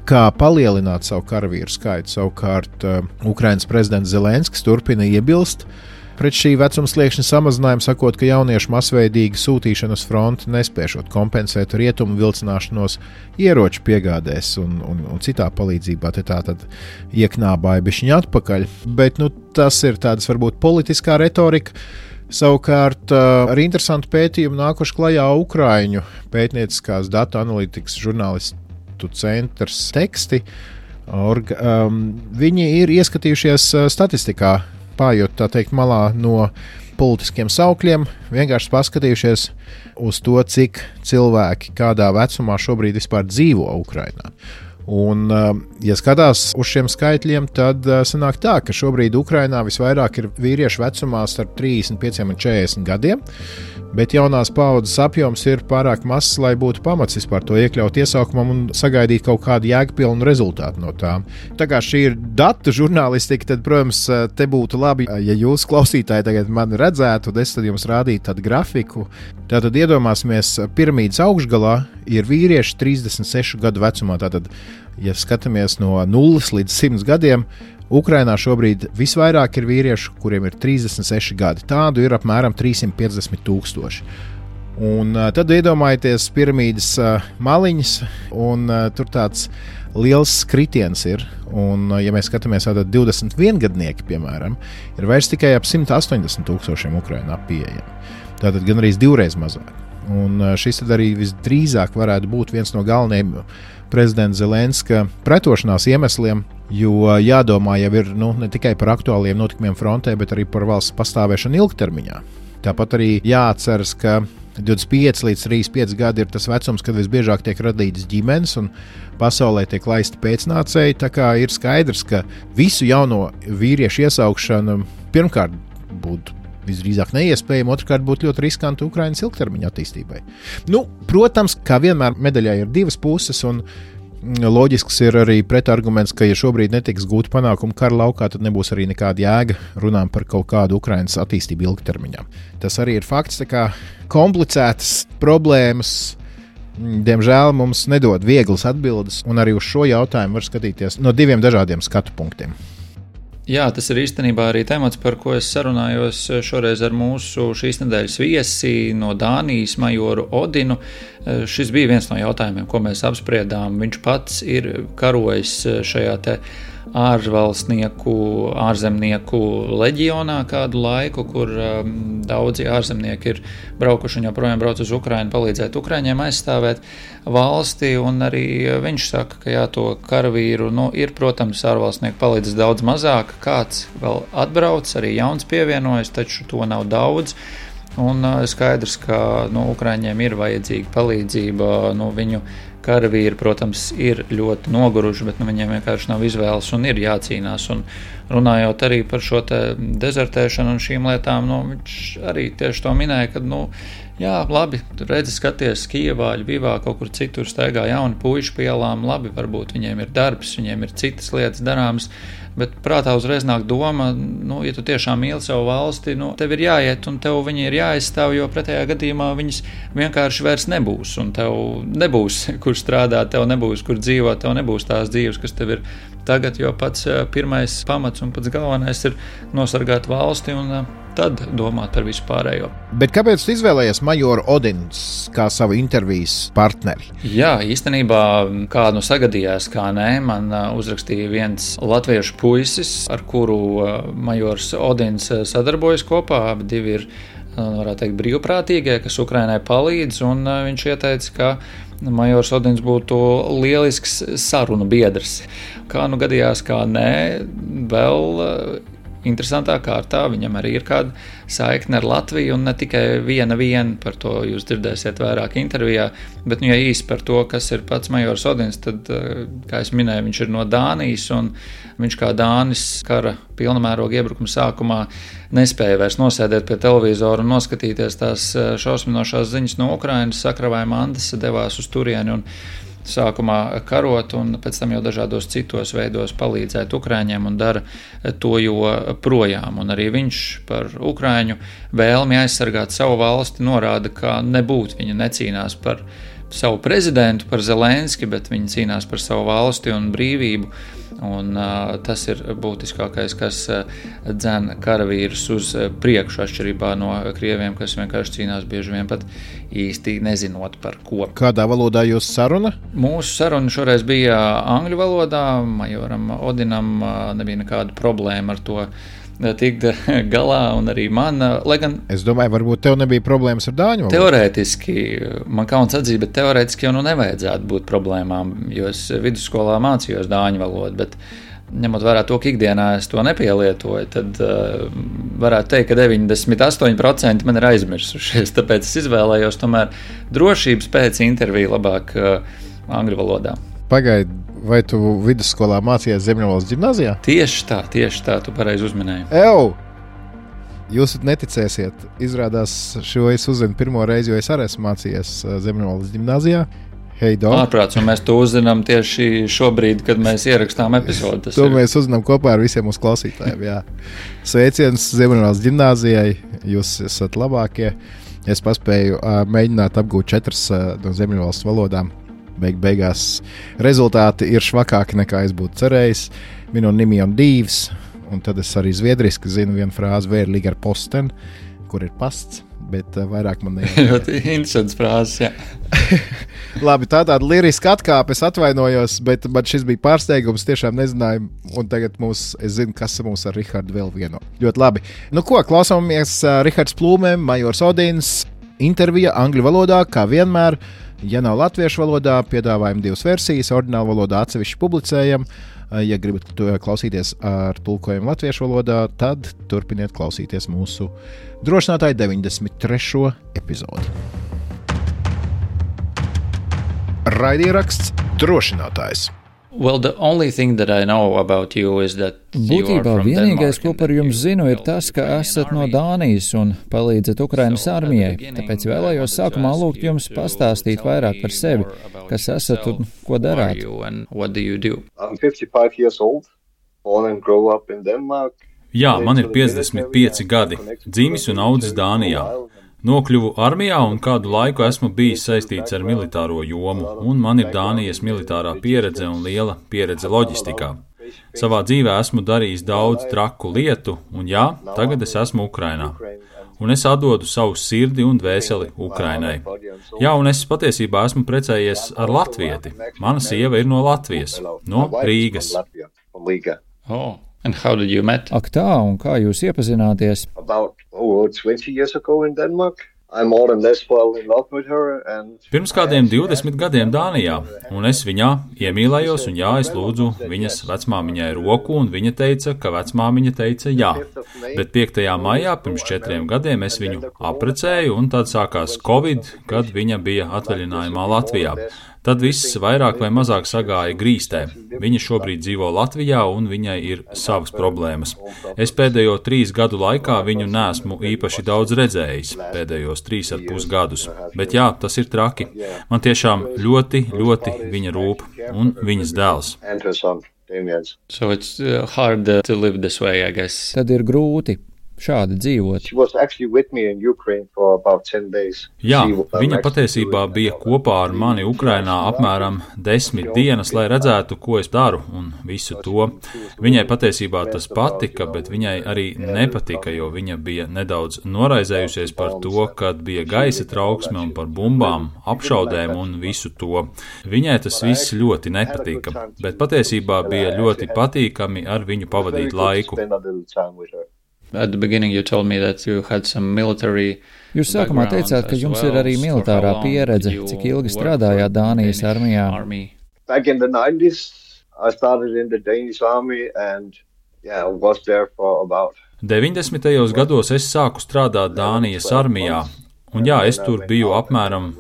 kā palielināt savu karavīru skaitu. Savukārt uh, Ukrainas prezidents Zelenskis turpina iebilst pret šī vecuma sliekšņa samazinājumu, sakot, ka jauniešu masveidīga sūtīšana uz fronti nespēšot kompensēt rietumu vilcināšanos ieroču piegādēs un, un, un citā palīdzībā. Te tā tad ieknābāja bišķiņa atpakaļ, bet nu, tas ir tāds varbūt politiskā retorika. Savukārt ar interesantu pētījumu nākuši klajā Ukraiņu pētnieciskās datu analītikas žurnālistu centrs teksti. Orga, um, viņi ir ieskatījušies statistikā, pājot tā teikt malā no politiskiem saukļiem, vienkārši paskatījušies uz to, cik cilvēki kādā vecumā šobrīd vispār dzīvo Ukrainā. Un, ja skatās uz šiem skaitļiem, tad sanāk tā, ka šobrīd Ukrainā visvairāk ir vīriešu vecumā starp trīsdesmit pieciem un četrdesmit gadiem, bet jaunās paaudzes apjoms ir pārāk mazs, lai būtu pamats vispār to iekļaut iesaukumam un sagaidīt kaut kādu jēgpilnu rezultātu no tām. Tā kā šī ir datu žurnālistika, tad, protams, te būtu labi, ja jūs klausītāji tagad mani redzētu, un es tad jums rādītu tādu grafiku. Tātad iedomāsimies, piramīdas augšgalā ir vīrieši trīsdesmit sešu gadu vecumā. Tātad, ja skatāmies no nulles līdz simts gadiem, Ukrainā šobrīd visvairāk ir vīriešu, kuriem ir trīsdesmit seši gadi. Tādu ir apmēram trīssimt piecdesmit tūkstoši. Un uh, tad iedomājieties piramīdas uh, maliņas, un uh, tur tāds liels kritiens ir. Un, uh, ja mēs skatāmies tātad divdesmit viengadnieki, piemēram, ir vairs tikai ap simt astoņdesmit tūkstošiem Ukrainā pieejami. Tātad gan arī divreiz mazāk. Un šis tad arī visdrīzāk varētu būt viens no galvenajiem prezidenta Zelenska pretošanās iemesliem, jo jādomā jau ir nu, ne tikai par aktuāliem notikumiem frontē, bet arī par valsts pastāvēšanu ilgtermiņā. Tāpat arī jāatceras, ka divdesmit pieci līdz trīsdesmit pieci gadi ir tas vecums, kad visbiežāk tiek radītas ģimenes un pasaulē tiek laisti pēcnācēji. Tā kā ir skaidrs, ka visu jauno vīriešu iesaukšana pirmkārt būtu visdrīzāk neiespējama, otrkārt būtu ļoti riskanti Ukrainas ilgtermiņa attīstībai. Nu, protams, kā vienmēr medaļai ir divas puses, un loģisks ir arī pretarguments, ka ja šobrīd netiks gūti panākumi kara laukā, tad nebūs arī nekāda jēga runām par kaut kādu Ukrainas attīstību ilgtermiņā. Tas arī ir fakts, tā kā komplicētas problēmas, diemžēl mums nedod vieglas atbildes, un arī uz šo jautājumu var skatīties no diviem dažādiem skatu punktiem. Jā, tas ir īstenībā arī temats, par ko es sarunājos šoreiz ar mūsu šīs nedēļas viesi no Dānijas majoru Odinu. Šis bija viens no jautājumiem, ko mēs apspriedām. Viņš pats ir karojis šajā te ārvalstnieku, ārzemnieku leģionā kādu laiku, kur um, daudzi ārzemnieki ir braukuši un joprojām brauc uz Ukrainu palīdzēt Ukraiņiem aizstāvēt valsti, un arī viņš saka, ka jā, to karavīru, nu, ir, protams, ārvalstnieku palīdzes daudz mazāk, kāds vēl atbrauc, arī jauns pievienojas, taču to nav daudz. Un uh, skaidrs, ka nu, Ukraiņiem ir vajadzīga palīdzība, nu, viņu karavīri, protams, ir ļoti noguruši, bet nu, viņiem vienkārši nav izvēles un ir jācīnās. Un runājot arī par šo te dezertēšanu un šīm lietām, nu, viņš arī tieši to minēja, ka, nu, jā, labi, redzi, skaties Kijevā, Ļvivā, kaut kur citur staigā jauni puiši pie ielām, labi, varbūt viņiem ir darbs, viņiem ir citas lietas darāmas, bet prātā uzreiz nāk doma, nu, ja tu tiešām mīli savu valsti, nu, tev ir jāiet un tev viņi ir jāaizstāv, jo pretējā gadījumā viņas vienkārši vairs nebūs, un tev nebūs, kur strādāt, tev nebūs, kur dzīvot, tev nebūs tās dzīves, kas tev ir tagad, jo pats pirmais pamats un pats galvenais ir nosargāt valsti un tad domāt par visu pārējo. Bet kāpēc tu izvēlējies majoru Odins kā savu intervijas partneri? Jā, īstenībā, kā nu sagadījās, kā nē, man uzrakstīja viens latviešu puisis, ar kuru majors Odins sadarbojas kopā, abi divi ir, varētu teikt, brīvprātīgie, kas Ukrainai palīdz, un viņš ieteica, ka majors Odins būtu lielisks sarunu biedrs. Kā nu gadījās, kā nē, vēl interesantā kārtā viņam arī ir kāda saikne ar Latviju, un ne tikai viena viena, par to jūs dzirdēsiet vairāk intervijā, bet nu, ja īsi par to, kas ir pats majors Odins, tad, kā es minēju, viņš ir no Dānijas, un viņš kā Dānis kara pilnamēroga iebrukuma sākumā nespēja vairs nosēdēt pie televizora un noskatīties tās šausminošās ziņas no Ukrainas, sakravēja mantas, devās uz turieni un sākumā karot un pēc tam jau dažādos citos veidos palīdzēt Ukraiņiem un dara to joprojām. Un arī viņš par Ukraiņu vēlmi aizsargāt savu valsti norāda, ka nebūtu viņa necīnās par savu prezidentu, par Zelenski, bet viņi cīnās par savu valsti un brīvību. Un uh, tas ir būtiskākais, kas uh, dzen karavīrus uz priekšu, atšķirībā no krieviem, kas vienkārši cīnās bieži vien pat īsti nezinot par ko. Kādā valodā jūs saruna? Mūsu saruna šoreiz bija angļu valodā, majoram Odinam uh, nebija nekāda problēma ar to tikt galā, un arī man, lai gan... Es domāju, varbūt tev nebija problēmas ar dāņu valodu. Teorētiski, man kauns atzīt, bet teorētiski jau nu nevajadzētu būt problēmām, jo es vidusskolā mācījos dāņu valodu, bet ņemot vērā to, ka ikdienā es to nepielietoju, tad uh, varētu teikt, ka deviņdesmit astoņi procenti man ir aizmirsušies, tāpēc es izvēlējos tomēr drošības pēc interviju labāk uh, angļu valodā. Pagaid, vai tu vidusskolā mācījies Ziemeļvalsts ģimnāzijā? Tieši tā, tieši tā, tu pareizi uzminēji. Ew! Jūs neticēsiet, izrādās šo es uzzinu pirmo reizi, jo es arī esmu mācījies Ziemeļvalsts ģimnāzijā. Hei, dog! Ārprāts, un mēs to uzzinām tieši šobrīd, kad mēs ierakstām epizodi. To ir. Mēs uzzinām kopā ar visiem mūsu klausītājiem, jā. Sveiciens Ziemeļvalsts ģimnāzijai, jūs esat labākie. Es paspēju uh, mēģināt apgūt četras uh, no Ziemeļvalsts valodām. Beig beigās rezultāti ir švakāki nekā es būtu cerējis. Minu nimion divs, un tad es arī zviedriski zinu vienu frāzi vērlīgi ar posten, kur ir pasts, bet uh, vairāk man nejautāja. Ļoti interesants frāzes, jā. Labi, tā tāda liriska atkāpe, es atvainojos, bet man šis bija pārsteigums, tiešām nezināju, un tagad mums, es zinu, kas mums ar Rihardu vēl vieno. Ļoti labi. Nu ko, klausāmies uh, Rihards Plūmēm, majors Odins. intervija angļu valodā, kā vienmēr. Ja nav latviešu valodā, piedāvājam divas versijas, oriģinālu valodā atsevišķi publicējam. Ja gribat klausīties ar tulkojumu latviešu valodā, tad turpiniet klausīties mūsu drošinātāju deviņdesmit trešo epizodi. Raidieraksts Drošinātājs. Well, the only thing that I know about you is that Būtībā vienīgais, ko par jums zinu, ir tas, ka esat no Dānijas un palīdzat Ukrainas armijai. Tāpēc vēlējos sākumā lūgt jums pastāstīt vairāk par sevi, kas esat un ko darāt. Jā, man ir piecdesmit pieci gadi, dzimis un audzis Dānijā. Nokļuvu armijā un kādu laiku esmu bijis saistīts ar militāro jomu, un man ir Dānijas militārā pieredze un liela pieredze loģistikā. Savā dzīvē esmu darījis daudz traku lietu, un jā, tagad es esmu Ukrainā. Un es atdodu savu sirdi un dvēseli Ukrainai. Jā, un es patiesībā esmu precējies ar latvieti. Mana sieva ir no Latvijas, no Rīgas. Oh. And how did you met? Ak tā, un kā jūs iepazināties? About, oh, twenty years ago in Denmark. I'm more or less well in love with her and... Pirms kādiem divdesmit gadiem Dānijā, un es viņā iemīlējos, un jā, es lūdzu viņas vecmāmiņai roku, un viņa teica, ka vecmāmiņa teica jā. Bet piektajā maijā pirms četriem gadiem es viņu aprecēju, un tad sākās Covid, kad viņa bija atvaļinājumā Latvijā. Tad viss vairāk vai mazāk sagāja grīstē. Viņa šobrīd dzīvo Latvijā un viņai ir savas problēmas. Es pēdējo trīs gadu laikā viņu neesmu īpaši daudz redzējis, pēdējos trīs ar pus gadus. Bet jā, tas ir traki. Man tiešām ļoti, ļoti viņa rūp un viņas dēls. So it's hard to live this way, I guess. Tad ir grūti šādi dzīvot. Jā, viņa patiesībā bija kopā ar mani Ukrainā apmēram desmit dienas, lai redzētu, ko es daru un visu to. Viņai patiesībā tas patika, bet viņai arī nepatika, jo viņa bija nedaudz noraizējusies par to, kad bija gaisa trauksme un par bumbām, apšaudēm un visu to. Viņai tas viss ļoti nepatika, bet patiesībā bija ļoti patīkami ar viņu pavadīt laiku. At the beginning you told me that you had some military Jūs sākumā teicāt, ka jums ir arī militārā pieredze. Cik ilgi strādājāt Dānijas armijā? Back in the nineties, I started in the Danish army and yeah, was there for about deviņdesmitajos gados es sāku strādāt Dānijas armijā. Un jā, es tur biju apmēram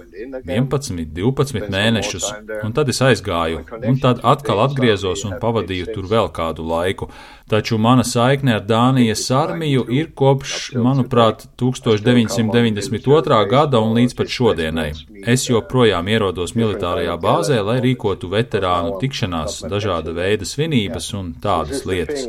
vienpadsmit, divpadsmit mēnešus, un tad es aizgāju, un tad atkal atgriezos un pavadīju tur vēl kādu laiku. Taču mana saikne ar Dānijas armiju ir kopš, manuprāt, deviņpadsmit deviņdesmit otrā gada un līdz pat šodienai. Es joprojām ierodos militārajā bāzē, lai rīkotu veterānu tikšanās, dažāda veida svinības un tādas lietas.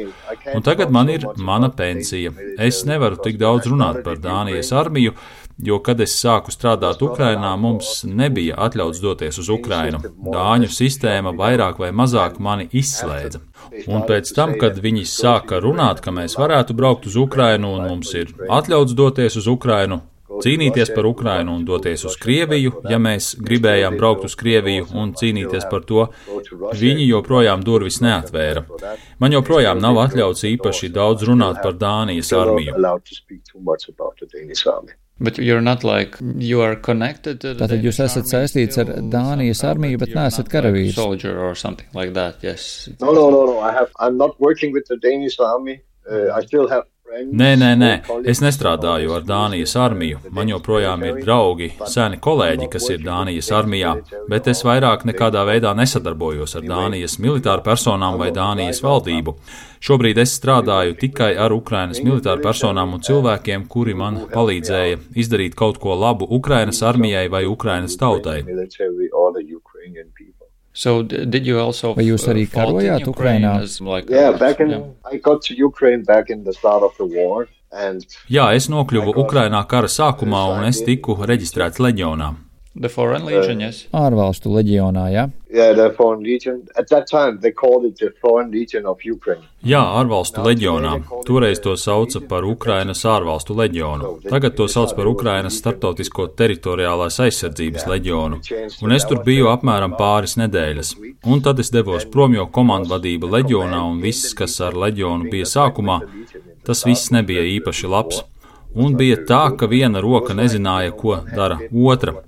Un tagad man ir mana pensija. Es nevaru tik daudz runāt par Dānijas armiju, jo, kad es sāku strādāt Ukrainā, mums nebija atļauts doties uz Ukrainu. Dāņu sistēma vairāk vai mazāk mani izslēdza. Un pēc tam, kad viņi sāka runāt, ka mēs varētu braukt uz Ukrainu un mums ir atļauts doties uz Ukrainu, cīnīties par Ukrainu un doties uz Krieviju, ja mēs gribējām braukt uz Krieviju un cīnīties par to, viņi joprojām durvis neatvēra. Man joprojām nav atļauts īpaši daudz runāt par Dānijas armiju. But you're not like, you are connected to the Tātad jūs esat saistīts ar Dānijas armiju, bet neesat karavīrs. Soldier or something like that, yes. No, no, no, no. I have, I'm not working with the Danish army. Uh, I still have Nē, nē, nē, es nestrādāju ar Dānijas armiju. Man joprojām ir draugi, seni kolēģi, kas ir Dānijas armijā, bet es vairāk nekādā veidā nesadarbojos ar Dānijas militāru personām vai Dānijas valdību. Šobrīd es strādāju tikai ar Ukrainas militāru personām un cilvēkiem, kuri man palīdzēja izdarīt kaut ko labu Ukrainas armijai vai Ukrainas tautai. So did you also Vai jūs arī karojāt Ukrainā? Like, yeah, back in, yeah. I got to Ukraine back in the start of the war. And Jā, es nokļuvu Ukrainā kara sākumā un es tiku reģistrēts leģionā. The Foreign Legion, yes. Ārvalstu leģionā, jā? Yeah, the Foreign Legion. At that time they called it the Foreign Legion of Ukraine. Jā, ārvalstu leģionā. Toreiz to sauca par Ukrainas ārvalstu leģionu. Tagad to sauc par Ukrainas starptautisko teritoriālās aizsardzības leģionu. Un es tur biju apmēram pāris nedēļas. Un tad es devos prom, jo komandvadība leģionā un viss, kas ar leģionu bija sākumā, tas viss nebija īpaši labs. Un bija tā, ka viena roka nezināja, ko dara otra.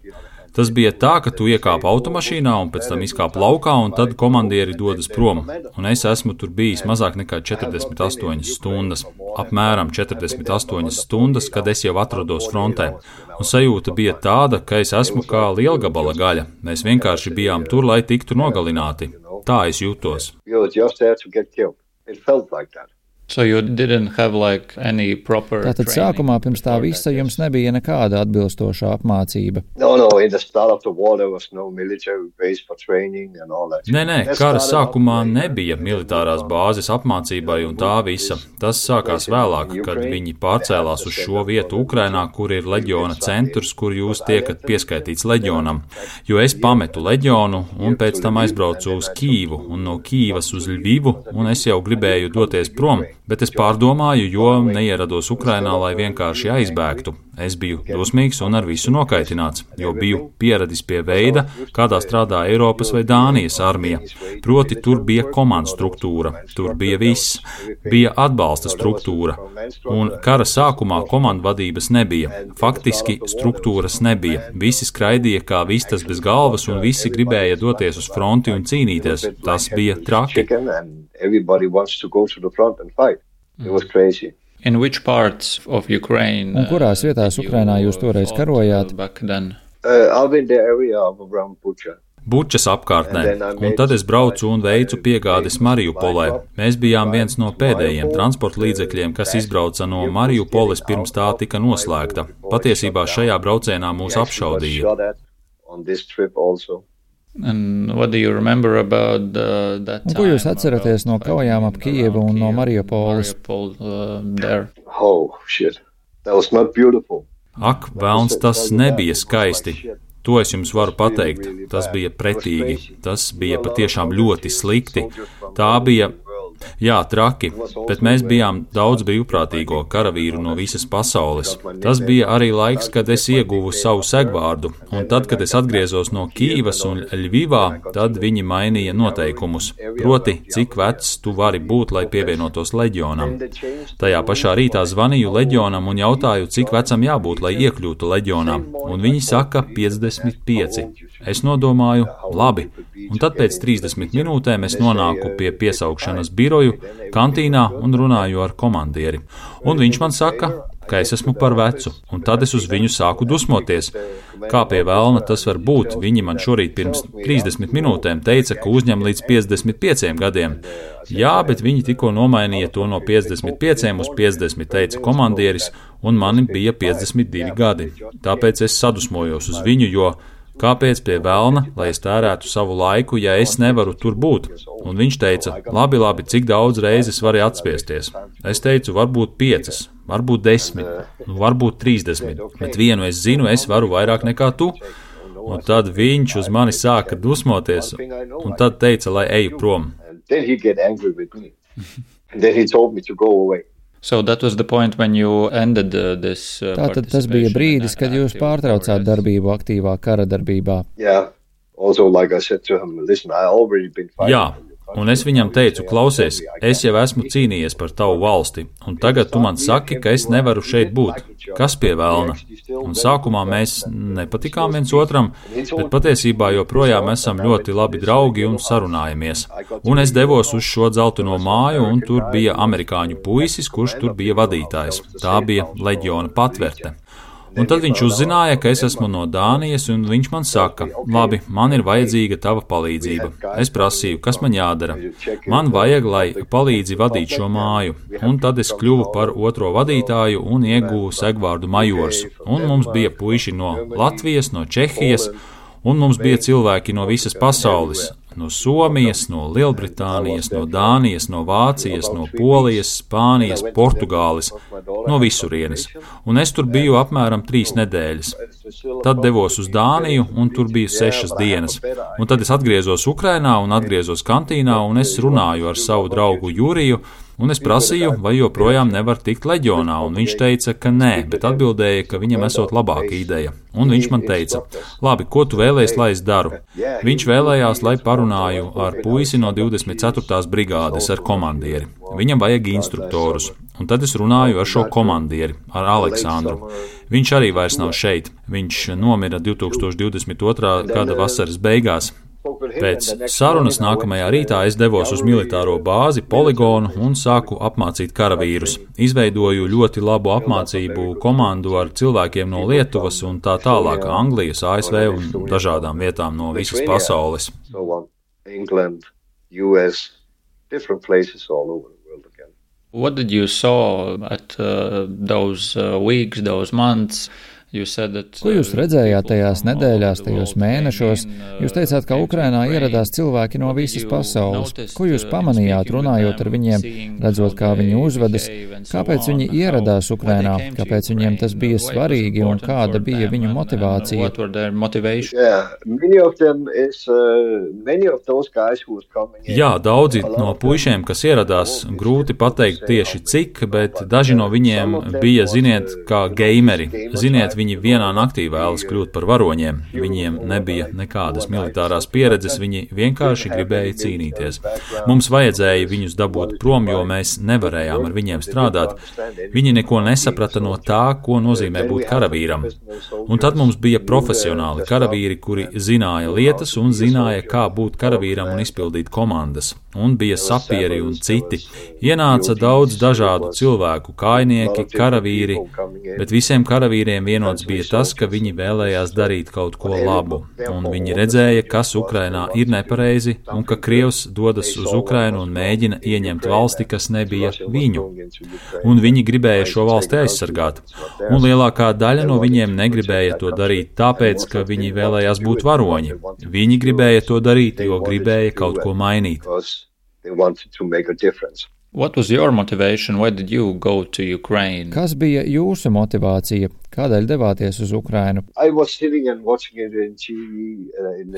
Tas bija tā, ka tu iekāp automašīnā un pēc tam izkāp laukā, un tad komandieri dodas prom. Un es esmu tur bijis mazāk nekā četrdesmit astoņas stundas. Apmēram četrdesmit astoņas stundas, kad es jau atrodos frontē. Un sajūta bija tāda, ka es esmu kā lielgabala gaļa. Mēs vienkārši bijām tur, lai tiktu nogalināti. Tā es jūtos. So you didn't have like any proper Tātad sākumā pirms tā visa jums nebija nekāda atbilstoša apmācība. No, no, in the start of the war there was no military base for training and all that. Nē, nē, kara sākumā nebija militārās bāzes apmācībai un tā visa. Tas sākās vēlāk, kad viņi pārcēlās uz šo vietu Ukrainā, kur ir leģiona centrs, kur jūs tiekat pieskaitīts leģionam. Jo es pametu leģionu un pēc tam aizbraucu uz Kīvu un no Kīvas uz Ļvivu, un es jau gribēju doties prom. Bet es pārdomāju, jo neierados Ukrainā, lai vienkārši aizbēgtu. Es biju dusmīgs un ar visu nokaitināts, jo biju pieradis pie veida, kādā strādā Eiropas vai Dānijas armija. Proti, tur bija komandu struktūra, tur bija viss, bija atbalsta struktūra. Un kara sākumā komandu vadības nebija. Faktiski struktūras nebija. Visi skraidīja kā vistas bez galvas un visi gribēja doties uz fronti un cīnīties. Tas bija traki. Everybody wants to go to the front and fight. It was crazy. In which parts of Ukraine? Un kurās vietās Ukrainā jūs toreiz karojāt? Back then. Uh, I'm in the area of around Bucha. Bučas apkārtnē, un tad es braucu un veicu piegādes Mariupolē. Mēs bijām viens no pēdējiem transporta līdzekļiem, kas izbrauca no Mariupoles pirms tā tika noslēgta. Patiesībā šajā braucienā mūs apšaudīja. And what do you remember about uh, that time? Un ko jūs atceraties no kaujām ap Kijevu un no Mariupoles? Uh, there. Oh, shit. That was not beautiful. Ak, velns, tas nebija skaisti. To es jums varu pateikt. Tas bija pretīgi. Tas bija patiešām ļoti slikti. Tā bija, jā, traki, bet mēs bijām daudz brīvprātīgo karavīru no visas pasaules. Tas bija arī laiks, kad es ieguvu savu segvārdu, un tad, kad es atgriezos no Kīvas un Ļvivā, tad viņi mainīja noteikumus. Proti, cik vecs tu vari būt, lai pievienotos leģionam. Tajā pašā rītā zvanīju leģionam un jautāju, cik vecam jābūt, lai iekļūtu leģionā, un viņi saka piecdesmit pieci. Es nodomāju, labi, un tad pēc trīsdesmit minūtēm es nonāku pie piesaukšanas biroju, kantīnā un runāju ar komandieri. Un viņš man saka, ka es esmu par vecu, un tad es uz viņu sāku dusmoties. Kā pie velna tas var būt? Viņi man šorīt pirms trīsdesmit minūtēm teica, ka uzņem līdz piecdesmit pieciem gadiem. Jā, bet viņi tikko nomainīja to no piecdesmit pieciem uz piecdesmit, teica komandieris, un man bija piecdesmit divi gadi. Tāpēc es sadusmojos uz viņu, jo kāpēc pie velna, lai es tērētu savu laiku, ja es nevaru tur būt? Un viņš teica, labi, labi, cik daudz reizes vari atspiesties? Es teicu, varbūt piecas, varbūt desmit, varbūt trīsdesmit, bet vienu es zinu, es varu vairāk nekā tu. Un tad viņš uz mani sāka dusmoties, un tad teica, lai eju prom. So that was the point when you ended uh, this uh, Tātad tas bija brīdis, kad jūs pārtraucāt darbību aktīvā kara darbībā. Yeah. Also, like I said to him, listen, I already been fighting. Jā, un es viņam teicu, klausies, es jau esmu cīnījies par tavu valsti, un tagad tu man saki, ka es nevaru šeit būt. Kas pie velna? Un sākumā mēs nepatikām viens otram, bet patiesībā joprojām esam ļoti labi draugi un sarunājamies. Un es devos uz šo dzelteno māju, un tur bija amerikāņu puisis, kurš tur bija vadītājs. Tā bija leģiona patverte. Un tad viņš uzzināja, ka es esmu no Dānijas, un viņš man saka, labi, man ir vajadzīga tava palīdzība. Es prasīju, kas man jādara. Man vajag, lai palīdzi vadīt šo māju. Un tad es kļuvu par otro vadītāju un ieguvu segvārdu majors. Un mums bija puiši no Latvijas, no Čehijas, un mums bija cilvēki no visas pasaules. No Somijas, no Lielbritānijas, no Dānijas, no Vācijas, no Polijas, Spānijas, Portugāles, no visurienes. Un es tur biju apmēram trīs nedēļas. Tad devos uz Dāniju, un tur biju sešas dienas. Un tad es atgriezos Ukrainā un atgriezos kantīnā, un es runāju ar savu draugu Juriju, un es prasīju, vai joprojām nevar tikt leģionā, un viņš teica, ka nē, bet atbildēja, ka viņam esot labāka ideja. Un viņš man teica, labi, ko tu vēlējies, lai es daru? Viņš vēlējās, lai parunāju ar puisi no divdesmit ceturtās brigādes, ar komandieri. Viņam vajag instruktorus. Un tad es runāju ar šo komandieri, ar Aleksandru. Viņš arī vairs nav šeit. Viņš nomira divtūkstoš divdesmit otrā gada vasaras beigās. Pēc sarunas nākamajā rītā es devos uz militāro bāzi, poligonu un sāku apmācīt karavīrus. Izveidoju ļoti labu apmācību komandu ar cilvēkiem no Lietuvas un tā tālāk, Anglijas, A S V un dažādām vietām no visas pasaules. England, U S, different places all over the world again. What did you saw at uh, those uh, weeks, those months? Ko jūs redzējāt tajās nedēļās, tajos mēnešos? Jūs teicāt, ka Ukrainā ieradās cilvēki no visas pasaules. Ko jūs pamanījāt, runājot ar viņiem, redzot, kā viņi uzvedas? Kāpēc viņi ieradās Ukrainā? Kāpēc viņiem tas bija svarīgi un kāda bija viņu motivācija? Jā, daudzi no puišiem, kas ieradās, grūti pateikt tieši cik, bet daži no viņiem bija, ziniet, kā gameri. Ziniet, viņi vienā naktī vēlas kļūt par varoņiem. Viņiem nebija nekādas militārās pieredzes, viņi vienkārši gribēja cīnīties. Mums vajadzēja viņus dabūt prom, jo mēs nevarējām ar viņiem strādāt. Viņi neko nesaprata no tā, ko nozīmē būt karavīram. Un tad mums bija profesionāli karavīri, kuri zināja lietas un zināja, kā būt karavīram un izpildīt komandas. Un bija sapieri un citi. Ienāca daudz dažādu cilvēku, kājnieki, karavīri, bet visiem karavīriem vienots bija tas, ka viņi vēlējās darīt kaut ko labu, un viņi redzēja, kas Ukrainā ir nepareizi, un ka Krievs dodas uz Ukrainu un mēģina ieņemt valsti, kas nebija viņu. Un viņi gribēja šo valsti aizsargāt. Un lielākā daļa no viņiem negribēja to darīt tāpēc, ka viņi vēlējās būt varoņi. Viņi gribēja to darīt, jo gribēja kaut ko mainīt. What was your motivation? Why did you go to Ukraine? Kas bija jūsu motivācija? Kādēļ devāties uz Ukrainu?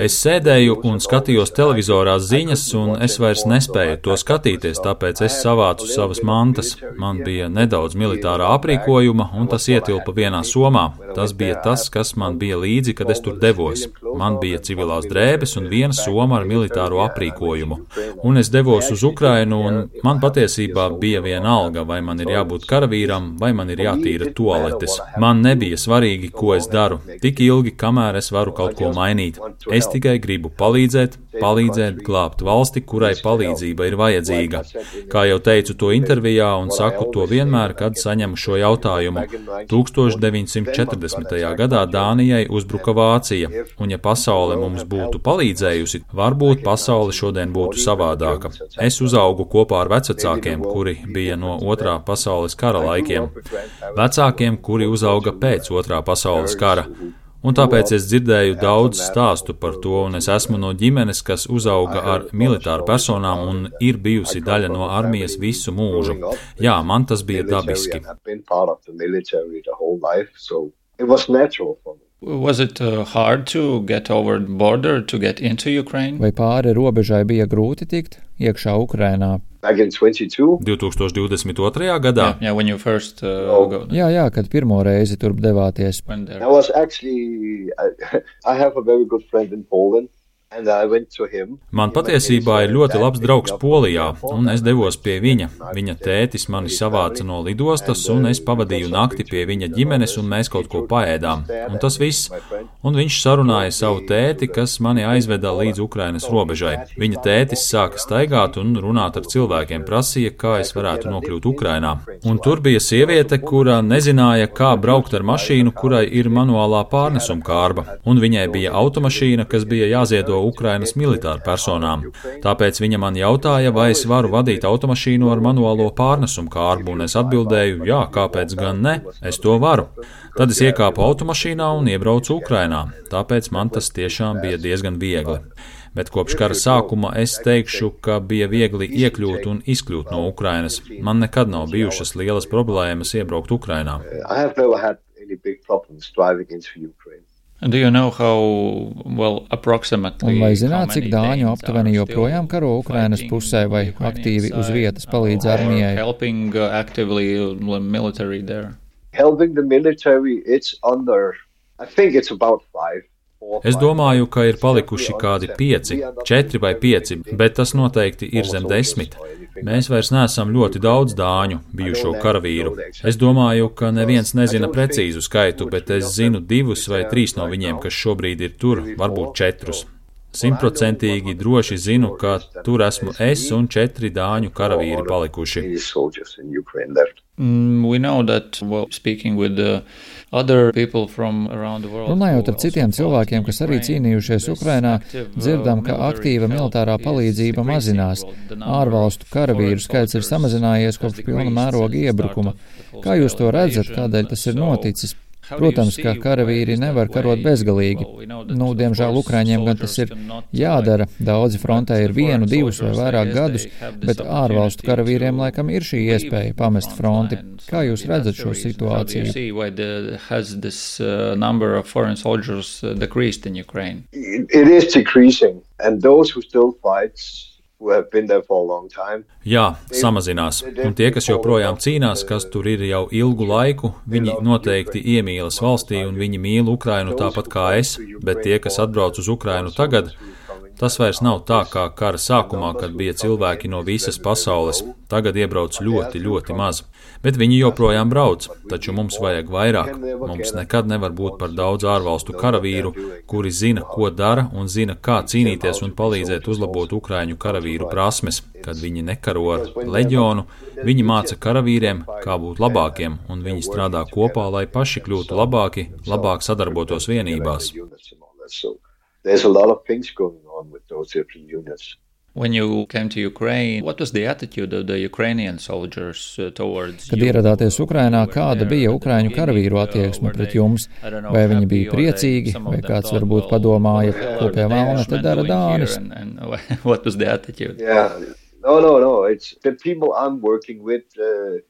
Es sēdēju un skatījos televizorā ziņas, un es vairs nespēju to skatīties, tāpēc es savācu savas mantas. Man bija nedaudz militārā aprīkojuma, un tas ietilpa vienā somā. Tas bija tas, kas man bija līdzi, kad es tur devos. Man bija civilās drēbes un viena soma ar militāro aprīkojumu. Un es devos uz Ukrainu, un man patiesībā bija viena alga, vai man ir jābūt karavīram, vai man ir jātīra tualetes. Man nebija svarīgi, ko es daru, tik ilgi, kamēr es varu kaut ko mainīt. Es tikai gribu palīdzēt, palīdzēt glābt valsti, kurai palīdzība ir vajadzīga. Kā jau teicu to intervijā un saku to vienmēr, kad saņemu šo jautājumu. tūkstoš deviņsimt četrdesmitajā gadā Dānijai uzbruka Vācija, un ja pasaule mums būtu palīdzējusi, varbūt pasaule šodien būtu savādāka. Es uzaugu kopā ar vecvecākiem, kuri bija no otrā pasaules kara laikiem. Vecākiem, kuri uzauga pēc otrā pasaules kara. Un tāpēc es dzirdēju daudz stāstu par to, un es esmu no ģimenes, kas uzauga ar militāru personām un ir bijusi daļa no armijas visu mūžu. Jā, man tas bija dabiski. Was it uh, hard to get over the border, to get into Ukraine? Vai pāri robežai bija grūti tikt iekšā Ukrainā? divtūkstoš divdesmit otrajā gadā? Yeah, yeah, when you first, uh, go. Jā, jā, kad pirmo reizi turp devāties. I was actually, I, I have a very good friend in Poland. Man patiesībā ir ļoti labs draugs Polijā, un es devos pie viņa. Viņa tētis mani savāca no lidostas, un es pavadīju nakti pie viņa ģimenes, un mēs kaut ko paēdām. Un tas viss. Un viņš sarunāja savu tēti, kas mani aizveda līdz Ukrainas robežai. Viņa tētis sāka staigāt un runāt ar cilvēkiem, prasīja, kā es varētu nokļūt Ukrainā. Un tur bija sieviete, kura nezināja, kā braukt ar mašīnu, kurai ir manuālā pārnesuma kārba. Un viņai bija automašīna, kas bija jāziedo Ukrainas militāru personām. Tāpēc viņa man jautāja, vai es varu vadīt automašīnu ar manuālo pārnesumu kārbu, un es atbildēju, jā, kāpēc gan ne, es to varu. Tad es iekāpu automašīnā un iebraucu Ukrainā, tāpēc man tas tiešām bija diezgan viegli. Bet kopš kara sākuma es teikšu, ka bija viegli iekļūt un izkļūt no Ukrainas. Man nekad nav bijušas lielas problēmas iebraukt Ukrainā. Do you know how, well, approximately, un vai zināt, cik dāņu aptuveni joprojām karo Ukrainas pusē vai aktīvi uz vietas palīdz armijai? Helping uh, actively military there. Helping the military, it's under, I think it's about five. Es domāju, ka ir palikuši kādi pieci, četri vai pieci, bet tas noteikti ir zem desmit. Mēs vairs neesam ļoti daudz dāņu bijušo karavīru. Es domāju, ka neviens nezina precīzu skaitu, bet es zinu divus vai trīs no viņiem, kas šobrīd ir tur, varbūt četrus. Simtprocentīgi droši zinu, ka tur esmu es un četri dāņu karavīri palikuši. Mm, we know that, well, speaking with the other people from around the world. Runājot ar citiem cilvēkiem, kas arī cīnījušies Ukrainā, dzirdam, ka aktīva militārā palīdzība mazinās. Ārvalstu karavīru skaits ir samazinājies kopš pilna mēroga iebrukuma. Kā jūs to redzat, kādēļ tas ir noticis? Protams, ka karavīri nevar karot bezgalīgi. Nu, diemžēl Ukraiņiem gan tas ir jādara. Daudzi frontē ir vienu, divus vai vairāk gadus, bet ārvalstu karavīriem laikam ir šī iespēja pamest fronti. Kā jūs redzat šo situāciju? It is decreasing, and those who still fight Jā, samazinās. Un tie, kas joprojām cīnās, kas tur ir jau ilgu laiku, viņi noteikti iemīlas valstī un viņi mīl Ukrainu tāpat kā es, bet tie, kas atbrauc uz Ukrainu tagad, tas vairs nav tā kā kara sākumā, kad bija cilvēki no visas pasaules. Tagad iebrauc ļoti, ļoti maz. Bet viņi joprojām brauc, taču mums vajag vairāk. Mums nekad nevar būt par daudz ārvalstu karavīru, kuri zina, ko dara un zina, kā cīnīties un palīdzēt uzlabot ukraiņu karavīru prasmes. Kad viņi nekaro ar leģionu, viņi māca karavīriem, kā būt labākiem, un viņi strādā kopā, lai paši kļūtu labāki, labāk sadarbotos vienībās. There's a lot of things going on with those different units. When you came to Ukraine, what was the attitude of the Ukrainian soldiers towards you? Kad ieradāties Ukrainā, kāda bija ukraiņu karavīru attieksme pret jums? Vai viņi bija priecīgi, vai kāds varbūt padomāja, ko pie velna te dara Dānis? What was the attitude? Yeah, no, no, no. It's the people I'm working with. Uh,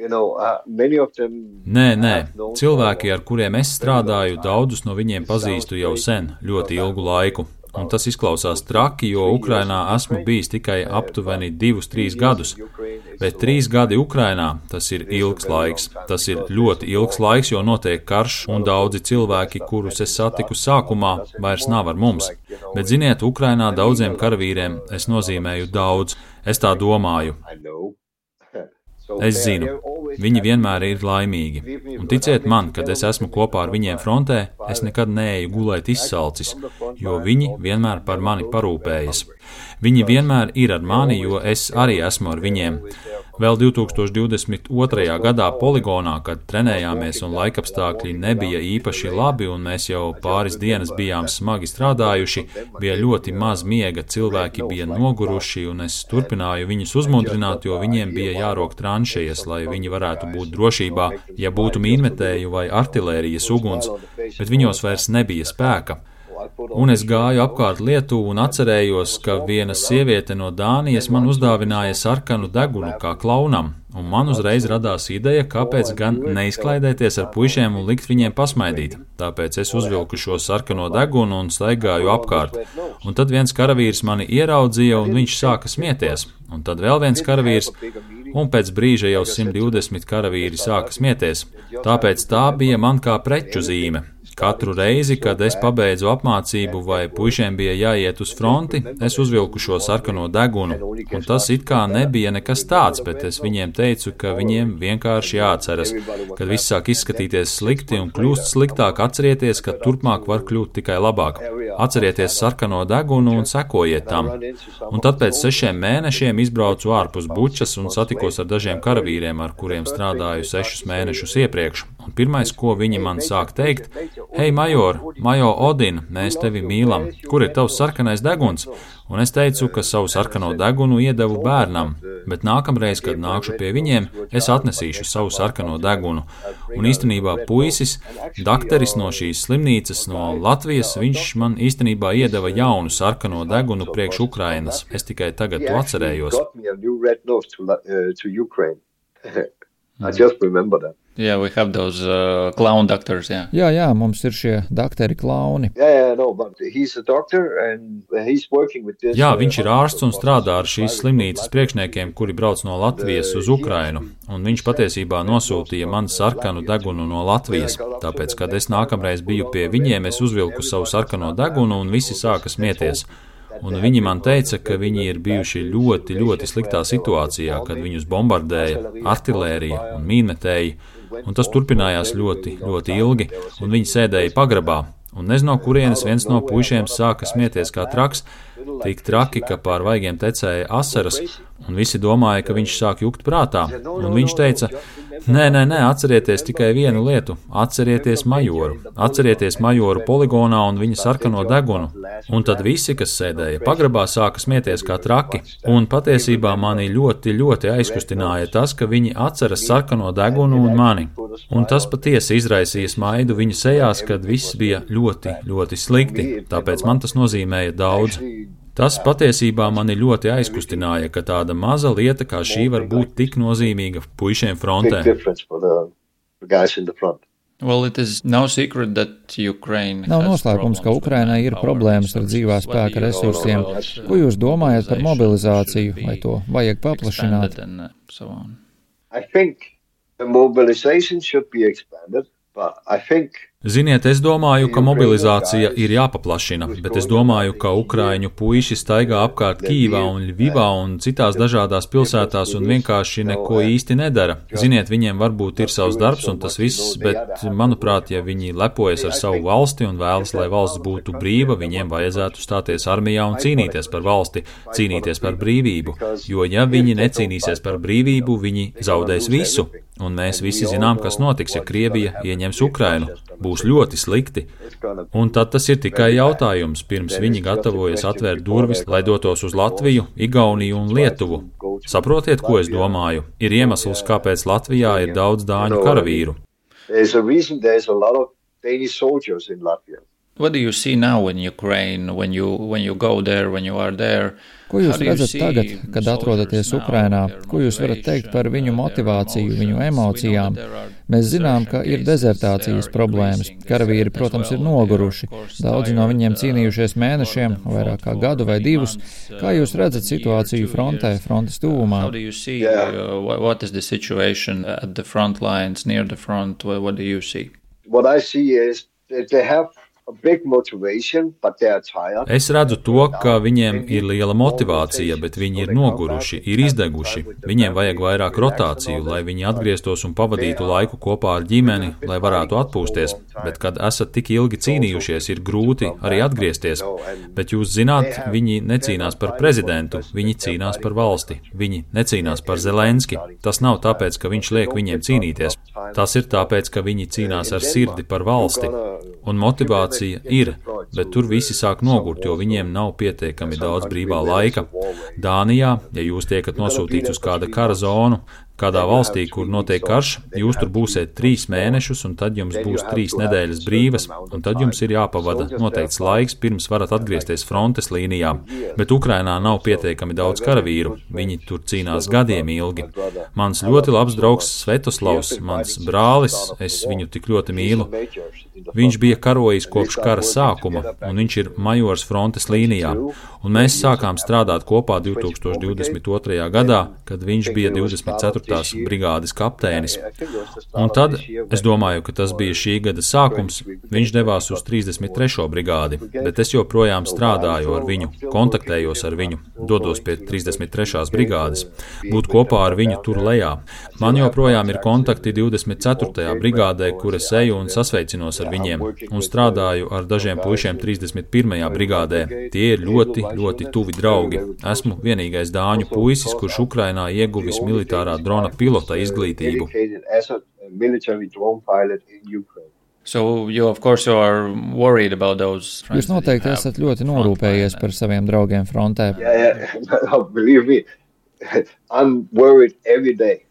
You know, uh, many of them nē, nē. Cilvēki, ar kuriem es strādāju, daudzus no viņiem pazīstu jau sen, ļoti ilgu laiku. Un tas izklausās traki, jo Ukrainā esmu bijis tikai aptuveni divus, trīs gadus. Bet trīs gadi Ukrainā, tas ir ilgs laiks. Tas ir ļoti ilgs laiks, jo notiek karš, un daudzi cilvēki, kurus es satiku sākumā, vairs nav ar mums. Bet ziniet, Ukrainā daudziem karavīriem es nozīmēju daudz. Es tā domāju. Es zinu, viņi vienmēr ir laimīgi, un ticiet man, kad es esmu kopā ar viņiem frontē, es nekad neeju gulēt izsalcis, jo viņi vienmēr par mani parūpējas. Viņi vienmēr ir ar mani, jo es arī esmu ar viņiem. Vēl divi tūkstoši divdesmit otrajā gadā poligonā, kad trenējāmies un laikapstākļi nebija īpaši labi un mēs jau pāris dienas bijām smagi strādājuši, bija ļoti maz miega, cilvēki bija noguruši un es turpināju viņus uzmundrināt, jo viņiem bija jārok tranšejas, lai viņi varētu būt drošībā, ja būtu mīnmetēju vai artilērijas uguns, bet viņos vairs nebija spēka. Un es gāju apkārt Lietuvu un atcerējos, ka viena sieviete no Dānijas man uzdāvināja sarkanu degunu kā klaunam, un man uzreiz radās ideja, kāpēc gan neizklaidēties ar puišiem un likt viņiem pasmaidīt. Tāpēc es uzvilku šo sarkano degunu un staigāju apkārt. Un tad viens karavīrs mani ieraudzīja un viņš sāka smieties. Un tad vēl viens karavīrs, un pēc brīža jau simt divdesmit karavīri sāka smieties. Tāpēc tā bija man kā preču zīme. Katru reizi, kad es pabeidzu apmācību vai puišiem bija jāiet uz fronti, es uzvilku šo sarkano degunu, un tas it kā nebija nekas tāds, bet es viņiem teicu, ka viņiem vienkārši jāatceras, kad viss sāk izskatīties slikti un kļūst sliktāk, atcerieties, ka turpmāk var kļūt tikai labāk. Atcerieties sarkano degunu un sekojiet tam. Un tad pēc sešiem mēnešiem izbraucu ārpus Bučas un satikos ar dažiem karavīriem, ar kuriem strādāju sešus mēnešus iepriekš. Un pirmais, ko viņi man sāk teikt: Hei, major, major Odin, mēs tevi mīlam. Kur ir tavs sarkanais deguns? Un es teicu, ka savu sarkano degunu iedevu bērnam, bet nākamreiz, kad nākšu pie viņiem, es atnesīšu savu sarkano degunu. Un īstenībā puisis, dakteris no šīs slimnīcas no Latvijas, viņš man īstenībā iedeva jaunu sarkano degunu priekš Ukrainas. Es tikai tagad to atcerējos. I just remember that. Yeah, we have those uh, clown doctors, yeah. Jā, jā, mums ir šie dakteri klauni. Yeah, yeah, no, but he's a doctor and he's working with this. Jā, viņš ir ārsts un strādā ar šīs slimnīcas priekšniekiem, kuri brauc no Latvijas uz Ukrainu, un viņš patiesībā nosūtīja man sarkanu degunu no Latvijas. Tāpēc, kad es nākamreiz biju pie viņiem, es uzvilku savu sarkano degunu un visi sāka smieties. Un viņi man teica, ka viņi ir bijuši ļoti, ļoti sliktā situācijā, kad viņus bombardēja artilērija un mīnmetēji, un tas turpinājās ļoti, ļoti ilgi, un viņi sēdēja pagrabā. Un nezinu, no kurienes viens no puišiem sāka smieties kā traks, tik traki, ka pār vaigiem tecēja asaras, un visi domāja, ka viņš sāk jukt prātā. Un viņš teica, nē, nē, nē, atcerieties tikai vienu lietu, atcerieties majoru, atcerieties majoru poligonā un viņa sarkano degunu. Un tad visi, kas sēdēja pagrabā, sāka smieties kā traki, un patiesībā mani ļoti, ļoti aizkustināja tas, ka viņi atceras sarkano degunu un mani. Un tas patiesi izraisīja smaidu viņu sejās, kad viss bija ļoti, ļoti slikti, tāpēc man tas nozīmēja daudz. Tas patiesībā mani ļoti aizkustināja, ka tāda maza lieta kā šī var būt tik nozīmīga puišiem frontē. Well, it is no secret that Ukraine Nav noslēpums, ka Ukrainai ir problēmas ar dzīvā spēka resursiem. Ko jūs domājat par mobilizāciju, vai to vajag paplašināt? I think the mobilization should be expanded, but I think Ziniet, es domāju, ka mobilizācija ir jāpaplašina, bet es domāju, ka ukraiņu puiši staigā apkārt Kīvā un Ļvivā un citās dažādās pilsētās un vienkārši neko īsti nedara. Ziniet, viņiem varbūt ir savs darbs un tas viss, bet, manuprāt, ja viņi lepojas ar savu valsti un vēlas, lai valsts būtu brīva, viņiem vajadzētu stāties armijā un cīnīties par valsti, cīnīties par brīvību, jo ja viņi necīnīsies par brīvību, viņi zaudēs visu. Un mēs visi zinām, kas notiks, ja Krievija ieņems Ukrainu. Būs ļoti slikti. Un tad tas ir tikai jautājums, pirms viņi gatavojas atvērt durvis, lai dotos uz Latviju, Igauniju un Lietuvu. Saprotiet, ko es domāju? Ir iemesls, kāpēc Latvijā ir daudz dāņu karavīru. What do you see now in Ukraine when you when you go there, when you are there? Ko jūs redzat tagad, kad atrodaties Ukrainā? Ko jūs varat teikt par viņu motivāciju, viņu emocijām? Mēs zinām, ka ir dezertācijas problēmas. Karavīri, protams, ir noguruši. Daudzi no viņiem cīnījušies mēnešiem, vairāk kā gadu vai divus. Kā jūs redzat situāciju frontē, frontes tuvumā? How do you see uh, what is the situation at the front lines, near the front? What do you see? What I see is that they have Es redzu to, ka viņiem ir liela motivācija, bet viņi ir noguruši, ir izdeguši. Viņiem vajag vairāk rotāciju, lai viņi atgrieztos un pavadītu laiku kopā ar ģimeni, lai varētu atpūsties. Bet, kad esat tik ilgi cīnījušies, ir grūti arī atgriezties. Bet jūs zināt, viņi necīnās par prezidentu, viņi cīnās par valsti. Viņi necīnās par Zelenski. Tas nav tāpēc, ka viņš liek viņiem cīnīties. Tas ir tāpēc, ka viņi cīnās ar sirdi par valsti. Un motivācija ir, bet tur visi sāk nogurt, jo viņiem nav pietiekami daudz brīvā laika. Dānijā, ja jūs tiekat nosūtīts uz kāda kara zonu, kādā valstī, kur notiek karš, jūs tur būsiet trīs mēnešus, un tad jums būs trīs nedēļas brīvas, un tad jums ir jāpavada noteikts laiks, pirms varat atgriezties frontes līnijā. Bet Ukrainā nav pietiekami daudz karavīru, viņi tur cīnās gadiem ilgi. Mans ļoti labs draugs Svetoslavs, mans brālis, es viņu tik ļoti mīlu. Viņš bija karojis kopš kara sākuma, un viņš ir majors frontes līnijā, un mēs sākām strādāt kopā divi tūkstoši divdesmit otrajā gadā, kad viņš bija divdesmit ceturtās brigādes kapteinis. Un tad, es domāju, ka tas bija šī gada sākums, viņš devās uz trīsdesmit trešo brigādi, bet es joprojām strādāju ar viņu, kontaktējos ar viņu, dodos pie trīsdesmit trešās brigādes, būt kopā ar viņu tur lejā. Man joprojām ir kontakti divdesmit ceturtajā brigādē, kur es eju un sasveicinos ar viņiem, un strādāju ar dažiem puišiem trīsdesmit pirmajā brigādē. Tie ir ļoti, ļoti tuvi draugi. Esmu vienīgais dāņu puisis, kurš Ukrainā ieguvis militārā drona pilota izglītību. So you, of course, you are worried about those. Jūs noteikti esat ļoti norūpējies par saviem draugiem frontē. Yeah, yeah. Believe me, I'm worried every day.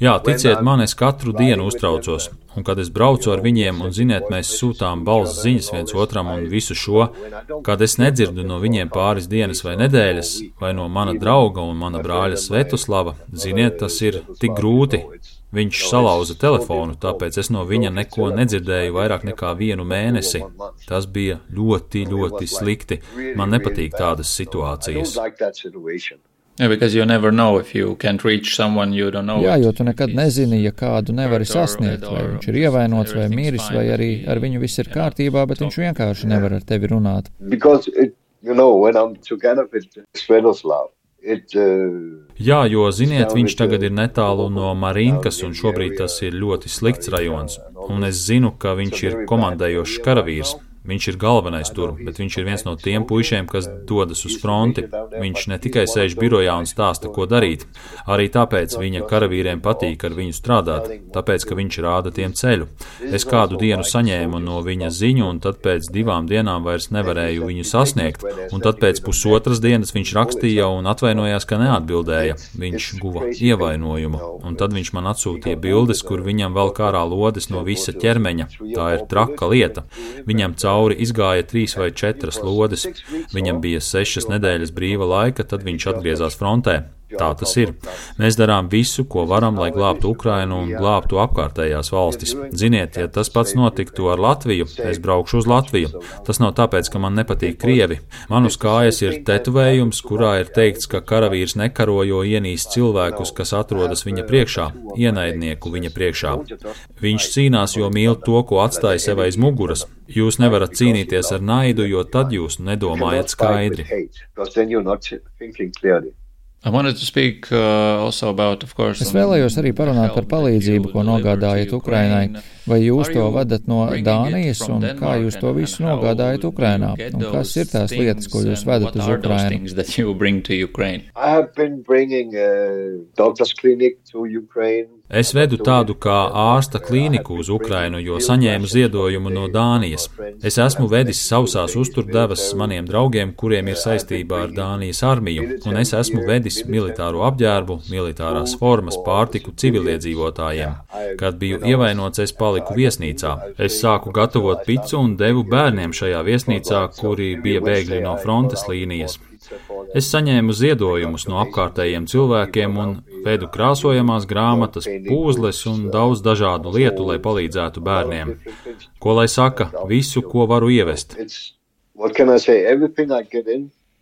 Jā, ticiet man, es katru dienu uztraucos, un kad es braucu ar viņiem, un ziniet, mēs sūtām balss ziņas viens otram un visu šo, kad es nedzirdu no viņiem pāris dienas vai nedēļas, vai no mana drauga un mana brāļa Svetoslava, ziniet, tas ir tik grūti. Viņš salauza telefonu, tāpēc es no viņa neko nedzirdēju vairāk nekā vienu mēnesi. Tas bija ļoti, ļoti slikti. Man nepatīk tādas situācijas. Yeah, because you never know if you can't reach someone you don't know. Jā, jo tu nekad nezini, ja kādu nevari sasniegt, vai viņš ir ievainots vai miris, vai arī ar viņu viss ir kārtībā, bet viņš vienkārši nevar ar tevi runāt. Because it, you know, when I'm together with Sviatoslav. It, uh, Jā, jo, ziniet, viņš tagad ir netālu no Marinkas, un šobrīd tas ir ļoti slikts rajons. Un es zinu, ka viņš ir komandējošs karavīrs. Viņš ir galvenais tur, bet viņš ir viens no tiem puišiem, kas dodas uz fronti. Viņš ne tikai sēž birojā un stāsta, ko darīt. Arī tāpēc viņa karavīriem patīk ar viņu strādāt, tāpēc, ka viņš rāda tiem ceļu. Es kādu dienu saņēmu no viņa ziņu, un tad pēc divām dienām vairs nevarēju viņu sasniegt. Un tad pēc pusotras dienas viņš rakstīja un atvainojās, ka neatbildēja. Viņš guva ievainojumu. Un tad viņš man atsūtīja bildes, kur viņam vēl kārā lodes no visa ķermeņa. Tā ir traka lieta. Viņam cauri izgāja trīs vai četras lodes. Viņam bija sešas nedēļas brīva laika, tad viņš atgriezās frontē. Tā tas ir. Mēs darām visu, ko varam, lai glābtu Ukrainu un glābtu apkārtējās valstis. Ziniet, ja tas pats notiktu ar Latviju, es braukšu uz Latviju. Tas nav tāpēc, ka man nepatīk Krievi. Man uz kājas ir tetovējums, kurā ir teikts, ka karavīrs nekaro, jo ienīst cilvēkus, kas atrodas viņa priekšā, ienaidnieku viņa priekšā. Viņš cīnās, jo mīl to, ko atstāja sev aiz muguras. Jūs nevarat cīnīties ar naidu, jo tad jūs nedomājat skaidri. Speak, uh, about, course, es vēlējos arī parunāt par palīdzību, ko nogādājat Ukrainai. Vai jūs to vadat no Dānijas, un kā jūs to visu nogādājat Ukrainā? Un kas ir tās lietas, ko jūs vedat uz Ukrainu? Es vedu tādu kā ārsta klīniku uz Ukrainu, jo saņēmu ziedojumu no Dānijas. Es esmu vedis sausās uzturdevas maniem draugiem, kuriem ir saistībā ar Dānijas armiju, un es esmu vedis militāro apģērbu, militārās formas, pārtiku civiliedzīvotājiem. Kad biju ievainots, es paliku viesnīcā. Es sāku gatavot picu un devu bērniem šajā viesnīcā, kuri bija bēgļi no frontes līnijas. Es saņēmu ziedojumus no apkārtējiem cilvēkiem un vedu krāsojamās grāmatas, pūzles un daudz dažādu lietu, lai palīdzētu bērniem. Ko lai saka, visu, ko varu ievest.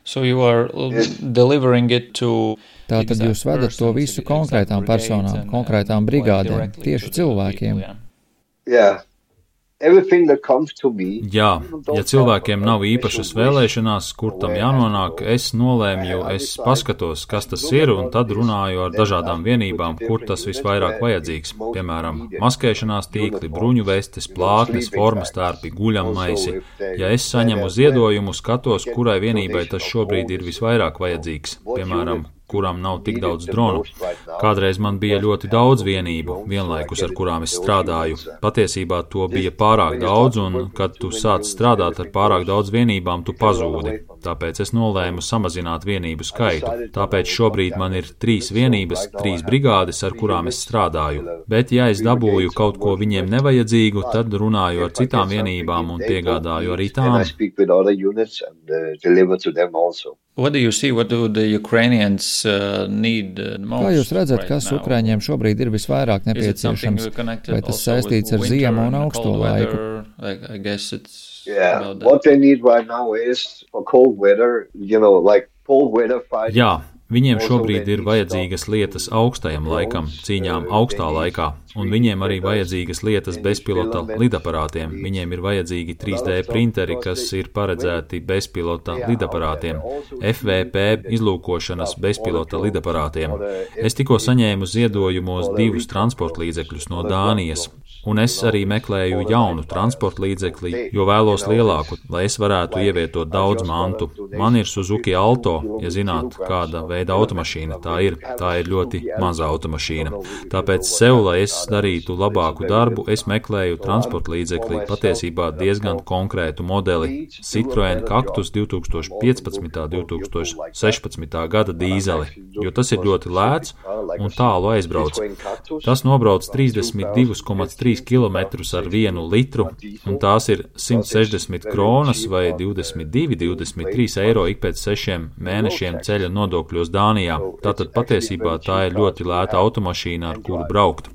So you are delivering it to... Tātad jūs vedat to visu konkrētām personām, konkrētām brigādēm, tieši cilvēkiem. Yeah. Jā, ja cilvēkiem nav īpašas vēlēšanās, kur tam jānonāk, es nolēmju, es paskatos, kas tas ir, un tad runāju ar dažādām vienībām, kur tas visvairāk vajadzīgs. Piemēram, maskēšanās tīkli, bruņu vestes, plātnes, formas tērpi, guļammaisi. Ja es saņemu ziedojumu, skatos, kurai vienībai tas šobrīd ir visvairāk vajadzīgs. Piemēram, kurām nav tik daudz dronu. Kādreiz man bija ļoti daudz vienību, vienlaikus ar kurām es strādāju. Patiesībā to bija pārāk daudz, un kad tu sāc strādāt ar pārāk daudz vienībām, tu pazūdi. Tāpēc es nolēmu samazināt vienību skaitu. Tāpēc šobrīd man ir trīs vienības, trīs brigādes, ar kurām es strādāju. Bet ja es dabūju kaut ko viņiem nevajadzīgu, tad runāju ar citām vienībām un piegādāju arī tām. What do you see? What do the Ukrainians uh, need uh, most? Kā jūs redzat, kas right Ukraiņiem šobrīd ir visvairāk nepieciešams? Vai tas saistīts ar ziemu un augsto laiku? Like, I guess it's yeah. What they need right now is for cold weather, you know, like cold weather fighting. Jā. Viņiem šobrīd ir vajadzīgas lietas augstajam laikam, cīņām augstā laikā, un viņiem arī vajadzīgas lietas bezpilota lidaparātiem. Viņiem ir vajadzīgi trīs D printeri, kas ir paredzēti bezpilota lidaparātiem, F V P izlūkošanas bezpilota lidaparātiem. Es tikko saņēmu ziedojumos divus transportlīdzekļus no Dānijas, un es arī meklēju jaunu transportlīdzekli, jo vēlos lielāku, lai es varētu ievietot daudz mantu. Man ir Suzuki Alto, ja zināt, kāda veida automašīna tā ir. Tā ir ļoti maza automašīna. Tāpēc sev, lai es darītu labāku darbu, es meklēju transportlīdzekli, patiesībā diezgan konkrētu modeli – Citroen Cactus divtūkstoš piecpadsmitā un divtūkstoš sešpadsmitā gada dīzeli, jo tas ir ļoti lēts un tālu aizbrauc. Tas nobrauc trīsdesmit divi komats trīs kilometrus ar vienu litru, un tās ir simt sešdesmit kronas vai divdesmit divi, divdesmit trīs eiro ik pēc sešiem mēnešiem ceļa nodokļos Dānijā. Tātad patiesībā tā ir ļoti lēta automašīna, ar kuru braukt.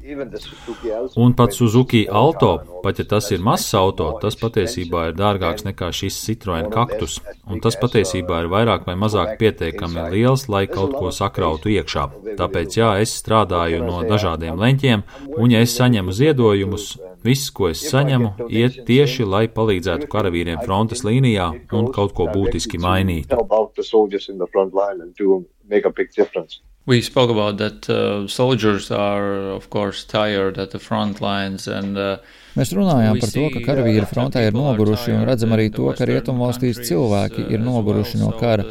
Un pat Suzuki Alto, pat ja tas ir mazs auto, tas patiesībā ir dārgāks nekā šis Citroen Cactus, un tas patiesībā ir vairāk vai mazāk pietiekami liels, lai kaut ko sakrautu iekšā. Tāpēc jā, es strādāju no dažādiem leņķiem, un ja es saņemu ziedojumus, Viss, ko es saņemu, iet tieši, lai palīdzētu karavīriem frontes līnijā un kaut ko būtiski mainītu. We spoke about that uh, soldiers are, of course, tired at the front lines and uh, Mēs runājām par to, ka karavīri frontē ir noguruši un redzam arī to, ka rietumvalstīs cilvēki ir noguruši no kara.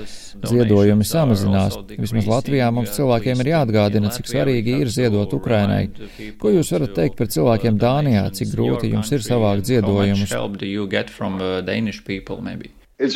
Ziedojumi samazinās. Vismaz Latvijā mums cilvēkiem ir jāatgādina, cik svarīgi ir ziedot Ukrainai. Ko jūs varat teikt par cilvēkiem Dānijā, cik grūti jums ir savākt ziedojumus? Ir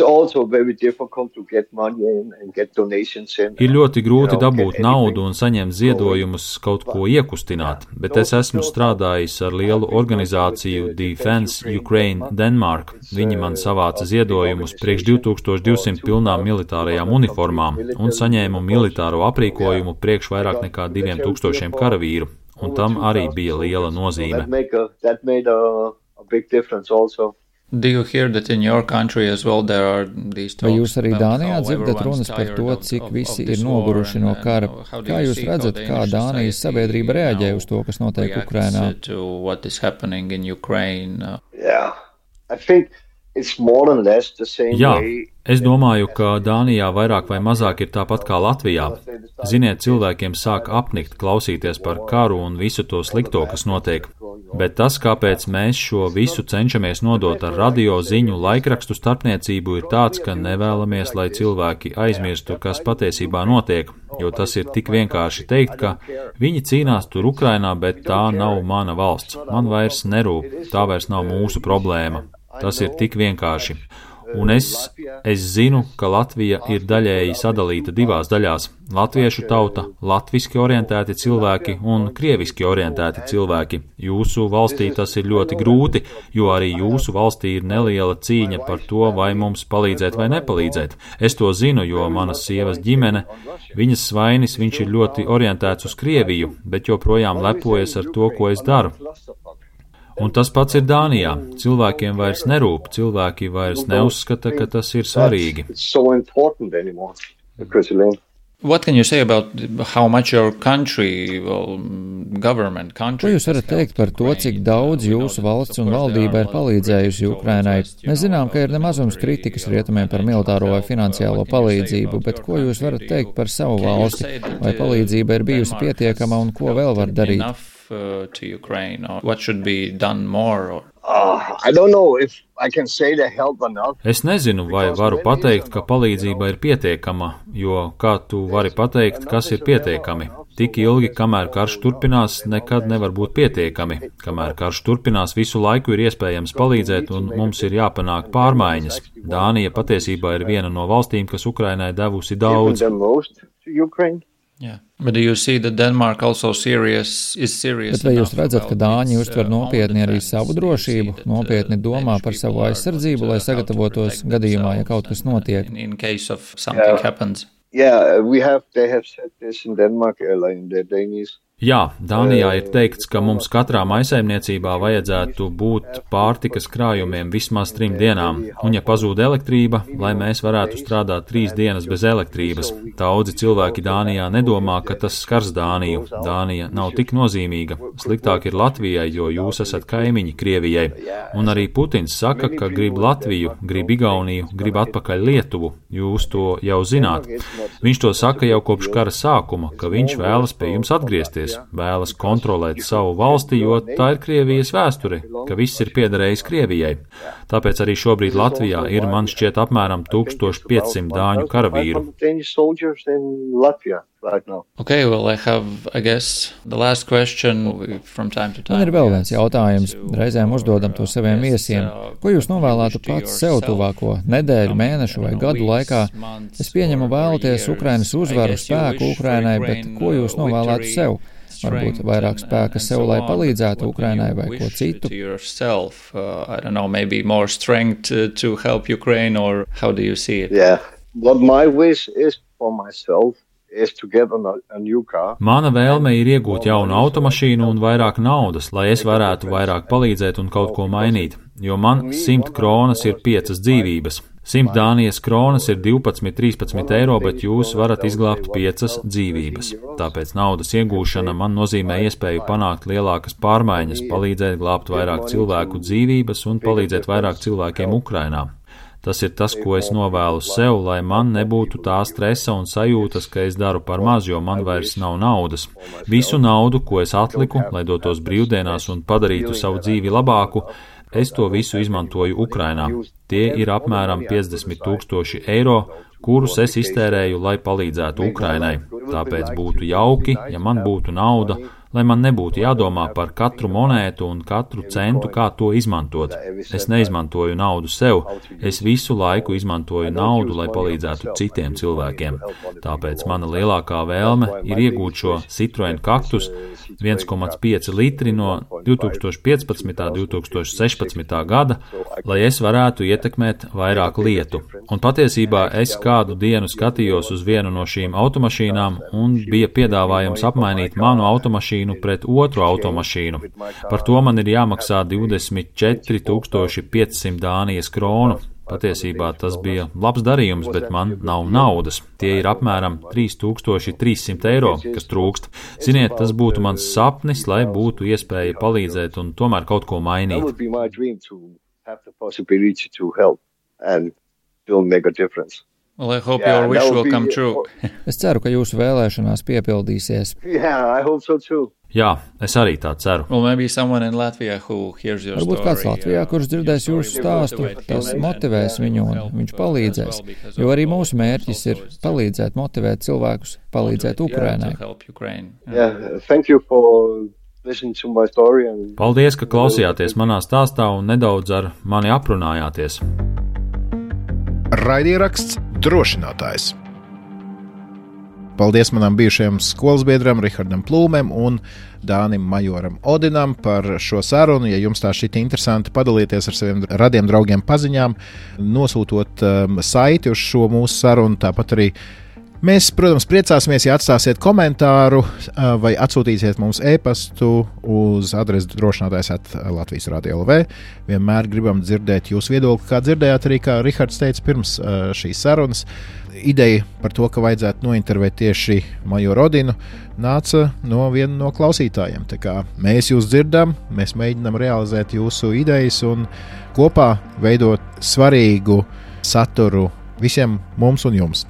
ļoti grūti dabūt naudu un saņemt ziedojumus kaut ko iekustināt, bet es esmu strādājis ar lielu organizāciju Defense Ukraine Denmark. Viņi man savāca ziedojumus priekš divi tūkstoši divsimt pilnām militārajām uniformām un saņēmu militāro aprīkojumu priekš vairāk nekā diviem tūkstošiem karavīru, un tam arī bija liela nozīme. Do you hear that in your country as well there are these talks? Vai jūs arī Dānijā dzirdat runas par to, cik visi ir noguruši no kara? Kā jūs redzat, kā Dānijas sabiedrība reaģē uz to, kas notiek Ukrainā? Yeah, I think it's more or less the same Jā, way. es domāju, ka Dānijā vairāk vai mazāk ir tāpat kā Latvijā. Ziniet, cilvēkiem sāk apnikt klausīties par karu un visu to slikto, kas notiek. Bet tas, kāpēc mēs šo visu cenšamies nodot ar radio ziņu laikrakstu starpniecību, ir tāds, ka nevēlamies, lai cilvēki aizmirstu, kas patiesībā notiek, jo tas ir tik vienkārši teikt, ka viņi cīnās tur Ukrainā, bet tā nav mana valsts. Man vairs nerūp, tā vairs nav mūsu problēma. Tas ir tik vienkārši. Un es, es zinu, ka Latvija ir daļēji sadalīta divās daļās - latviešu tauta, latviski orientēti cilvēki un krieviski orientēti cilvēki. Jūsu valstī tas ir ļoti grūti, jo arī jūsu valstī ir neliela cīņa par to, vai mums palīdzēt vai nepalīdzēt. Es to zinu, jo manas sievas ģimene, viņas svainis, viņš ir ļoti orientēts uz Krieviju, bet joprojām lepojas ar to, ko es daru. Un tas pats ir Dānijā. Cilvēkiem vairs nerūp, cilvēki vairs neuzskata, ka tas ir svarīgi. What can you say about how much your country, well, government, country... Ko jūs varat teikt par to, cik daudz jūsu valsts un valdība ir palīdzējusi Ukrainai? Mēs zinām, ka ir nemazums kritikas rietumiem par militāro vai finansiālo palīdzību, bet ko jūs varat teikt par savu valsti? Vai palīdzība ir bijusi pietiekama un ko vēl var darīt? To Ukraine, or what should be done more? Or... Uh, I don't know if I can say the help enough. Es nezinu, vai varu pateikt, ka palīdzība ir pietiekama, jo kā tu vari pateikt, kas ir pietiekami? Tik ilgi, kamēr karš turpinās, nekad nevar būt pietiekami. Kamēr karš turpinās, visu laiku ir iespējams palīdzēt un mums ir jāpanāk pārmaiņas. Dānija patiesībā ir viena no valstīm, kas Ukrainai devusi daudz. Yeah. But do you see that Denmark also serious, is serious Bet vai jūs redzat, ka Dāņi uztver nopietni arī savu drošību, nopietni domā par savu aizsardzību, lai sagatavotos gadījumā, ja kaut kas notiek? In case of something yeah. happens. Yeah, we have, they have said this in Denmark, in the Danish. Jā, Dānijā ir teikts, ka mums katrā maisaimniecībā vajadzētu būt pārtikas krājumiem vismaz trim dienām, un ja pazūd elektrība, lai mēs varētu strādāt trīs dienas bez elektrības. Daudzi cilvēki Dānijā nedomā, ka tas skars Dāniju. Dānija nav tik nozīmīga. Sliktāk ir Latvijai, jo jūs esat kaimiņi Krievijai. Un arī Putins saka, ka grib Latviju, grib Igauniju, grib atpakaļ Lietuvu. Jūs to jau zināt. Viņš to saka jau kopš kara sākuma, ka viņš vēlas pie jums atgriezties. Vēlas kontrolēt savu valsti, jo tā ir Krievijas vēsture, ka viss ir piederējis Krievijai. Tāpēc arī šobrīd Latvijā ir, man šķiet, apmēram tūkstoš piecsimt dāņu karavīru. Okay, well, I have, I guess, the last question from time to time. Man ir vēl viens jautājums. Reizēm uzdodam to saviem viesiem. Ko jūs novēlētu pats sev tuvāko nedēļu, mēnešu vai gadu laikā? Es pieņemu vēlaties Ukrainas uzvaru, spēku Ukrainai, bet ko jūs novēlētu sev? Varbūt vairāk spēka sev, lai palīdzētu Ukrainai vai ko citu. I don't know, maybe more strength to help Ukraine, or how do you see it? Yeah, what my wish is for myself is to get a new car. Mana vēlme ir iegūt jaunu automašīnu un vairāk naudas, lai es varētu vairāk palīdzēt un kaut ko mainīt, jo man simt kronas ir piecas dzīvības. Simt Dānijas kronas ir divpadsmit, trīspadsmit eiro, bet jūs varat izglābt piecas dzīvības. Tāpēc naudas iegūšana man nozīmē iespēju panākt lielākas pārmaiņas, palīdzēt glābt vairāk cilvēku dzīvības un palīdzēt vairāk cilvēkiem Ukrainā. Tas ir tas, ko es novēlu sev, lai man nebūtu tā stresa un sajūtas, ka es daru par maz, jo man vairs nav naudas. Visu naudu, ko es atliku, lai dotos brīvdienās un padarītu savu dzīvi labāku, es to visu izmantoju Ukrainā. Tie ir apmēram piecdesmit tūkstoši eiro, kurus es iztērēju, lai palīdzētu Ukrainai. Tāpēc būtu jauki, ja man būtu nauda, lai man nebūtu jādomā par katru monētu un katru centu, kā to izmantot. Es neizmantoju naudu sev, es visu laiku izmantoju naudu, lai palīdzētu citiem cilvēkiem. Tāpēc mana lielākā vēlme ir iegūt šo Citroen Cactus viens komats pieci litri no divtūkstoš piecpadsmitā un divtūkstoš sešpadsmitā gada, lai es varētu ietekmēt vairāk lietu. Un patiesībā es kādu dienu skatījos uz vienu no šīm automašīnām un bija piedāvājums apmainīt manu automašīnu pret otru automašīnu. Par to man ir jāmaksā divdesmit četri tūkstoši piecsimt Dānijas kronu. Patiesībā tas bija labs darījums, bet man nav naudas. Tie ir apmēram trīs tūkstoši trīs simti eiro, kas trūkst. Ziniet, tas būtu mans sapnis, lai būtu iespēja palīdzēt un tomēr kaut ko mainīt. Well, I hope yeah, your wish will come true. Es ceru, ka jūsu vēlēšanās piepildīsies. Yeah, I hope so too. Jā, es arī tā ceru. Well, maybe someone in Latvia who hears your Varbūt kāds Latvijā, kurš dzirdēs jūsu stāstu, tas motivēs viņu un viņš palīdzēs. Jo arī mūsu mērķis ir palīdzēt, motivēt cilvēkus, palīdzēt Ukrainai. Yeah, thank you for listening to my story. And... Paldies, ka klausījāties manā stāstā un nedaudz ar mani aprunājāties. Raidieraksts Drošinātājs. Paldies manam bijušajam skolas biedram Rihardam Plūmēm un Dānim Majoram Odinam par šo sarunu. Ja jums tā šķiet interesanti, padalieties ar saviem radiem draugiem paziņām, nosūtot um, saiti uz šo mūsu sarunu, tāpat arī mēs, protams, priecāsimies, ja atstāsiet komentāru vai atsūtīsiet mums e-pastu uz adresi drošinātājs at Latvijas Radio L V. Vienmēr gribam dzirdēt jūsu viedokli, kā dzirdējāt arī, kā Rihards teica pirms šīs sarunas. Ideja par to, ka vajadzētu nointervēt tieši Majoru Odinu, nāca no viena no klausītājiem. Tā kā mēs jūs dzirdam, mēs mēģinām realizēt jūsu idejas un kopā veidot svarīgu saturu visiem mums un jums.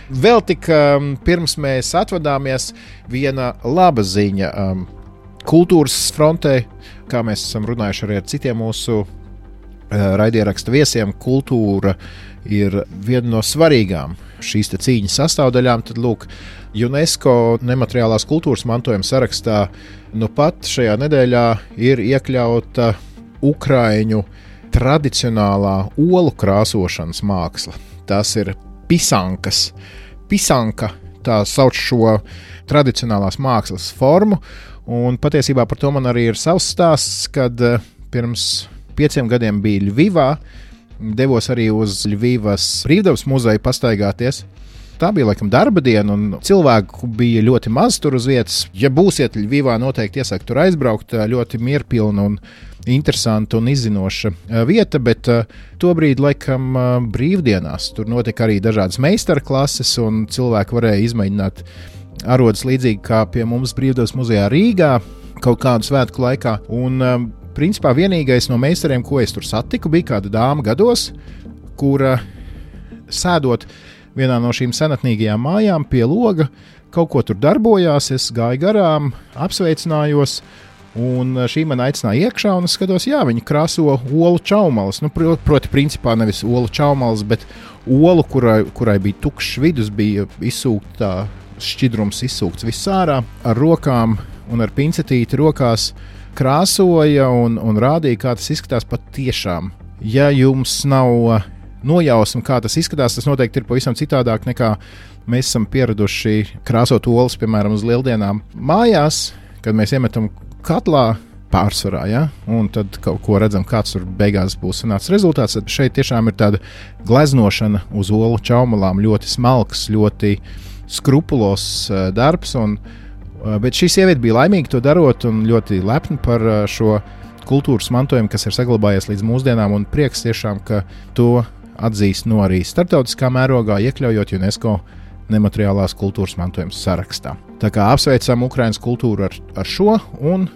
Vēl tik um, pirms mēs atvadāmies, viena laba ziņa um, kultūras frontē, kā mēs esam runājuši arī ar citiem mūsu uh, raidieraksta viesiem, kultūra ir viena no svarīgām šīs te cīņas sastāvdaļām. Tad lūk, UNESCO nemateriālās kultūras mantojuma sarakstā nu pat šajā nedēļā ir iekļauta ukraiņu tradicionālā olu krāsošanas māksla. Tas ir pisankas. Pisanka, tā sauc šo tradicionālās mākslas formu, un patiesībā par to man arī ir savs stāsts, kad pirms pieciem gadiem bija Ļvivā, devos arī uz Ļvivas brīvdabas muzeju pastaigāties. Tā bija laikam darba diena, un cilvēku bija ļoti maz tur uz vietas. Ja būsiet Ļvivā, noteikti iesaku tur aizbraukt, ļoti mierpilna un interesanta un izzinoša vieta, bet uh, tobrīd laikam uh, brīvdienās tur notika arī dažādas meistarklases, un cilvēki varēja izmēģināt arodas līdzīgi kā pie mums brīvdabas muzejā Rīgā kaut kādu svētku laikā. Un uh, principā vienīgais no meistariem, ko es tur satiku, bija kāda dāma gados, kura sēdot vienā no šīm senatnīgajām mājām pie loga kaut ko tur darbojās. Es gāju garām, apsveicinājos, un šī man aicināja iekšā, un es skatos, jā, viņi krāso olu čaumalas. Nu, proti, principā nevis olu čaumalas, bet olu, kurai, kurai bija tukšs vidus, bija izsūkta tā šķidrums, izsūkts viss ārā, ar rokām un ar pincetīti rokās krāsoja un, un rādīja, kā tas izskatās pat tiešām. Ja jums nav nojausma, kā tas izskatās, tas noteikti ir pavisam citādāk nekā mēs esam pieraduši krāsot olas, piemēram, uz lieldienām mājās, kad mēs iemetam katlā pārsvarā, ja? Un tad kaut ko redzam, kāds tur beigās būs sanācis rezultāts. Tad šeit tiešām ir tāda gleznošana uz olu čaumalām, ļoti smalks, ļoti skrupulos uh, darbs, un, uh, bet šī sieviete bija laimīga to darot un ļoti lepna par uh, šo kultūras mantojumu, kas ir saglabājies līdz mūsdienām, un prieks tiešām, ka to atzīst no arī starptautiskā mērogā, iekļaujot UNESCO nemateriālās kultūras mantojuma sarakstā. Tā kā apsveicam Ukrainas kultūru ar, ar šo, un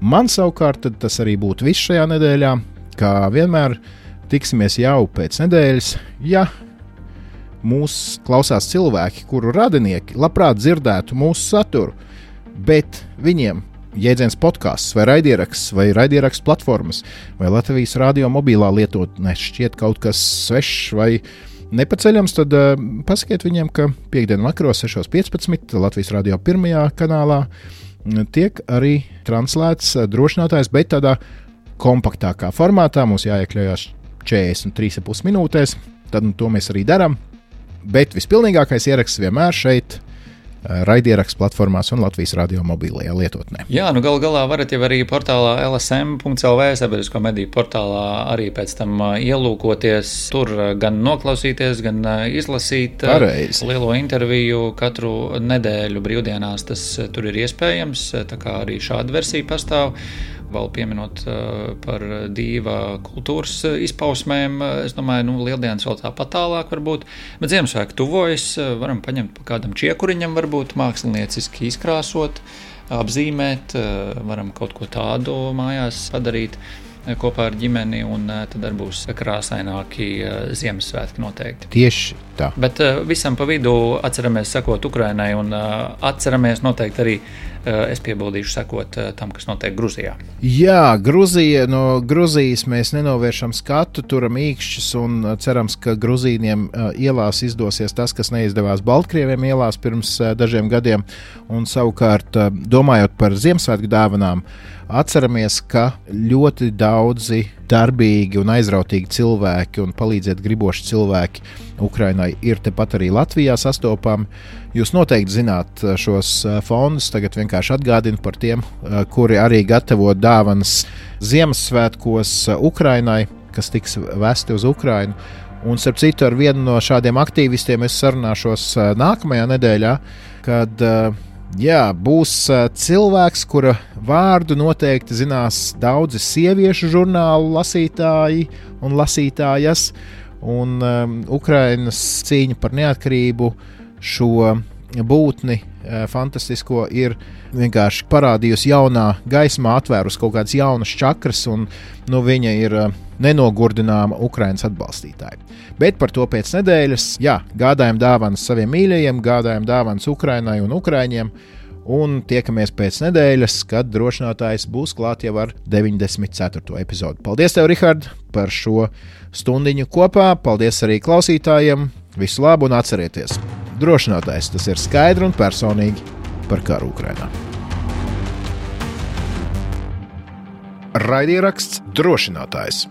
man savukārt tas arī būtu viss šajā nedēļā, kā vienmēr tiksimies jau pēc nedēļas, ja mūs klausās cilvēki, kuru radinieki labprāt dzirdētu mūsu saturu, bet viņiem jēdziens podcasts vai raidieraksts vai raidieraksts platformas vai Latvijas radio mobilā lietotne šķiet kaut kas svešs vai nepaceļams, tad uh, pasakiet viņiem, ka piekdien vakaros sešos piecpadsmit Latvijas radio pirmajā kanālā tiek arī translēts drošinātājs, bet tādā kompaktākā formātā. Mums jāiekļaujās četrdesmit trīs ar pus minūtēs, tad nu, to mēs arī darām. Bet vispilnīgākais ieraksts vienmēr šeit raidieraksts platformās un Latvijas radio mobilajā lietotnē. Jā, nu gal galā varat jau arī portālā L S M punkts L V, sabiedrisko mediju portālā, arī pēc tam ielūkoties, tur gan noklausīties, gan izlasīt Pareizi. Lielo interviju katru nedēļu brīvdienās, tas tur ir iespējams, tā kā arī šāda versija pastāv. Vēl pieminot uh, par dīva kultūras izpausmēm, es domāju, nu, lieldienas vēl tāpat tālāk varbūt, bet Ziemassvētki tuvojas, varam paņemt pa kādam čiekuriņam varbūt mākslinieciski izkrāsot, apzīmēt, varam kaut ko tādu mājās padarīt kopā ar ģimeni, un tad arī būs krāsaināki Ziemassvētki noteikti. Tieši tā. Bet visam pa vidu atceramies sekot Ukrainai, un atceramies noteikti arī, es piebildīšu, sekot tam, kas notiek Gruzijā. Jā, Gruzija, no Gruzijas mēs nenovēršam skatu, turam īkšķus un cerams, ka Gruzīniem ielās izdosies tas, kas neizdevās Baltkrieviem ielās pirms dažiem gadiem, un savukārt domājot par Ziemassvētku dāvanām, atceramies, ka ļoti daudzi darbīgi un aizrautīgi cilvēki un palīdzēt griboši cilvēki Ukrainai ir tepat arī Latvijā sastopami. Jūs noteikti zināt šos fondus, tagad vienkārši atgādinu par tiem, kuri arī gatavo dāvanas Ziemassvētkos Ukrainai, kas tiks vesti uz Ukrainu. Un, starp citu, ar vienu no šādiem aktīvistiem es sarunāšos nākamajā nedēļā, kad jā, būs cilvēks, kura vārdu noteikti zinās daudzi sieviešu žurnālu lasītāji un lasītājas, un um, Ukrainas cīņa par neatkarību šo būtni uh, fantastisko ir vienkārši parādījusi jaunā gaismā, atvērus kaut kādas jaunas čakras, un nu, viņa ir uh, nenogurdināma Ukrainas atbalstītāja. Bet par to pēc nedēļas, jā, gādājam dāvanas saviem mīļajiem, gādājam dāvanas Ukrainai un Ukraiņiem, un tiekamies pēc nedēļas, kad drošinātājs būs klāt jau ar deviņdesmit ceturto epizodi. Paldies tev, Rihard, par šo stundiņu kopā, paldies arī klausītājiem, visu labu un atcerieties! Drošinātājs, tas ir skaidri un personīgi par karu Ukrainā. Raidieraksts Drošinātājs.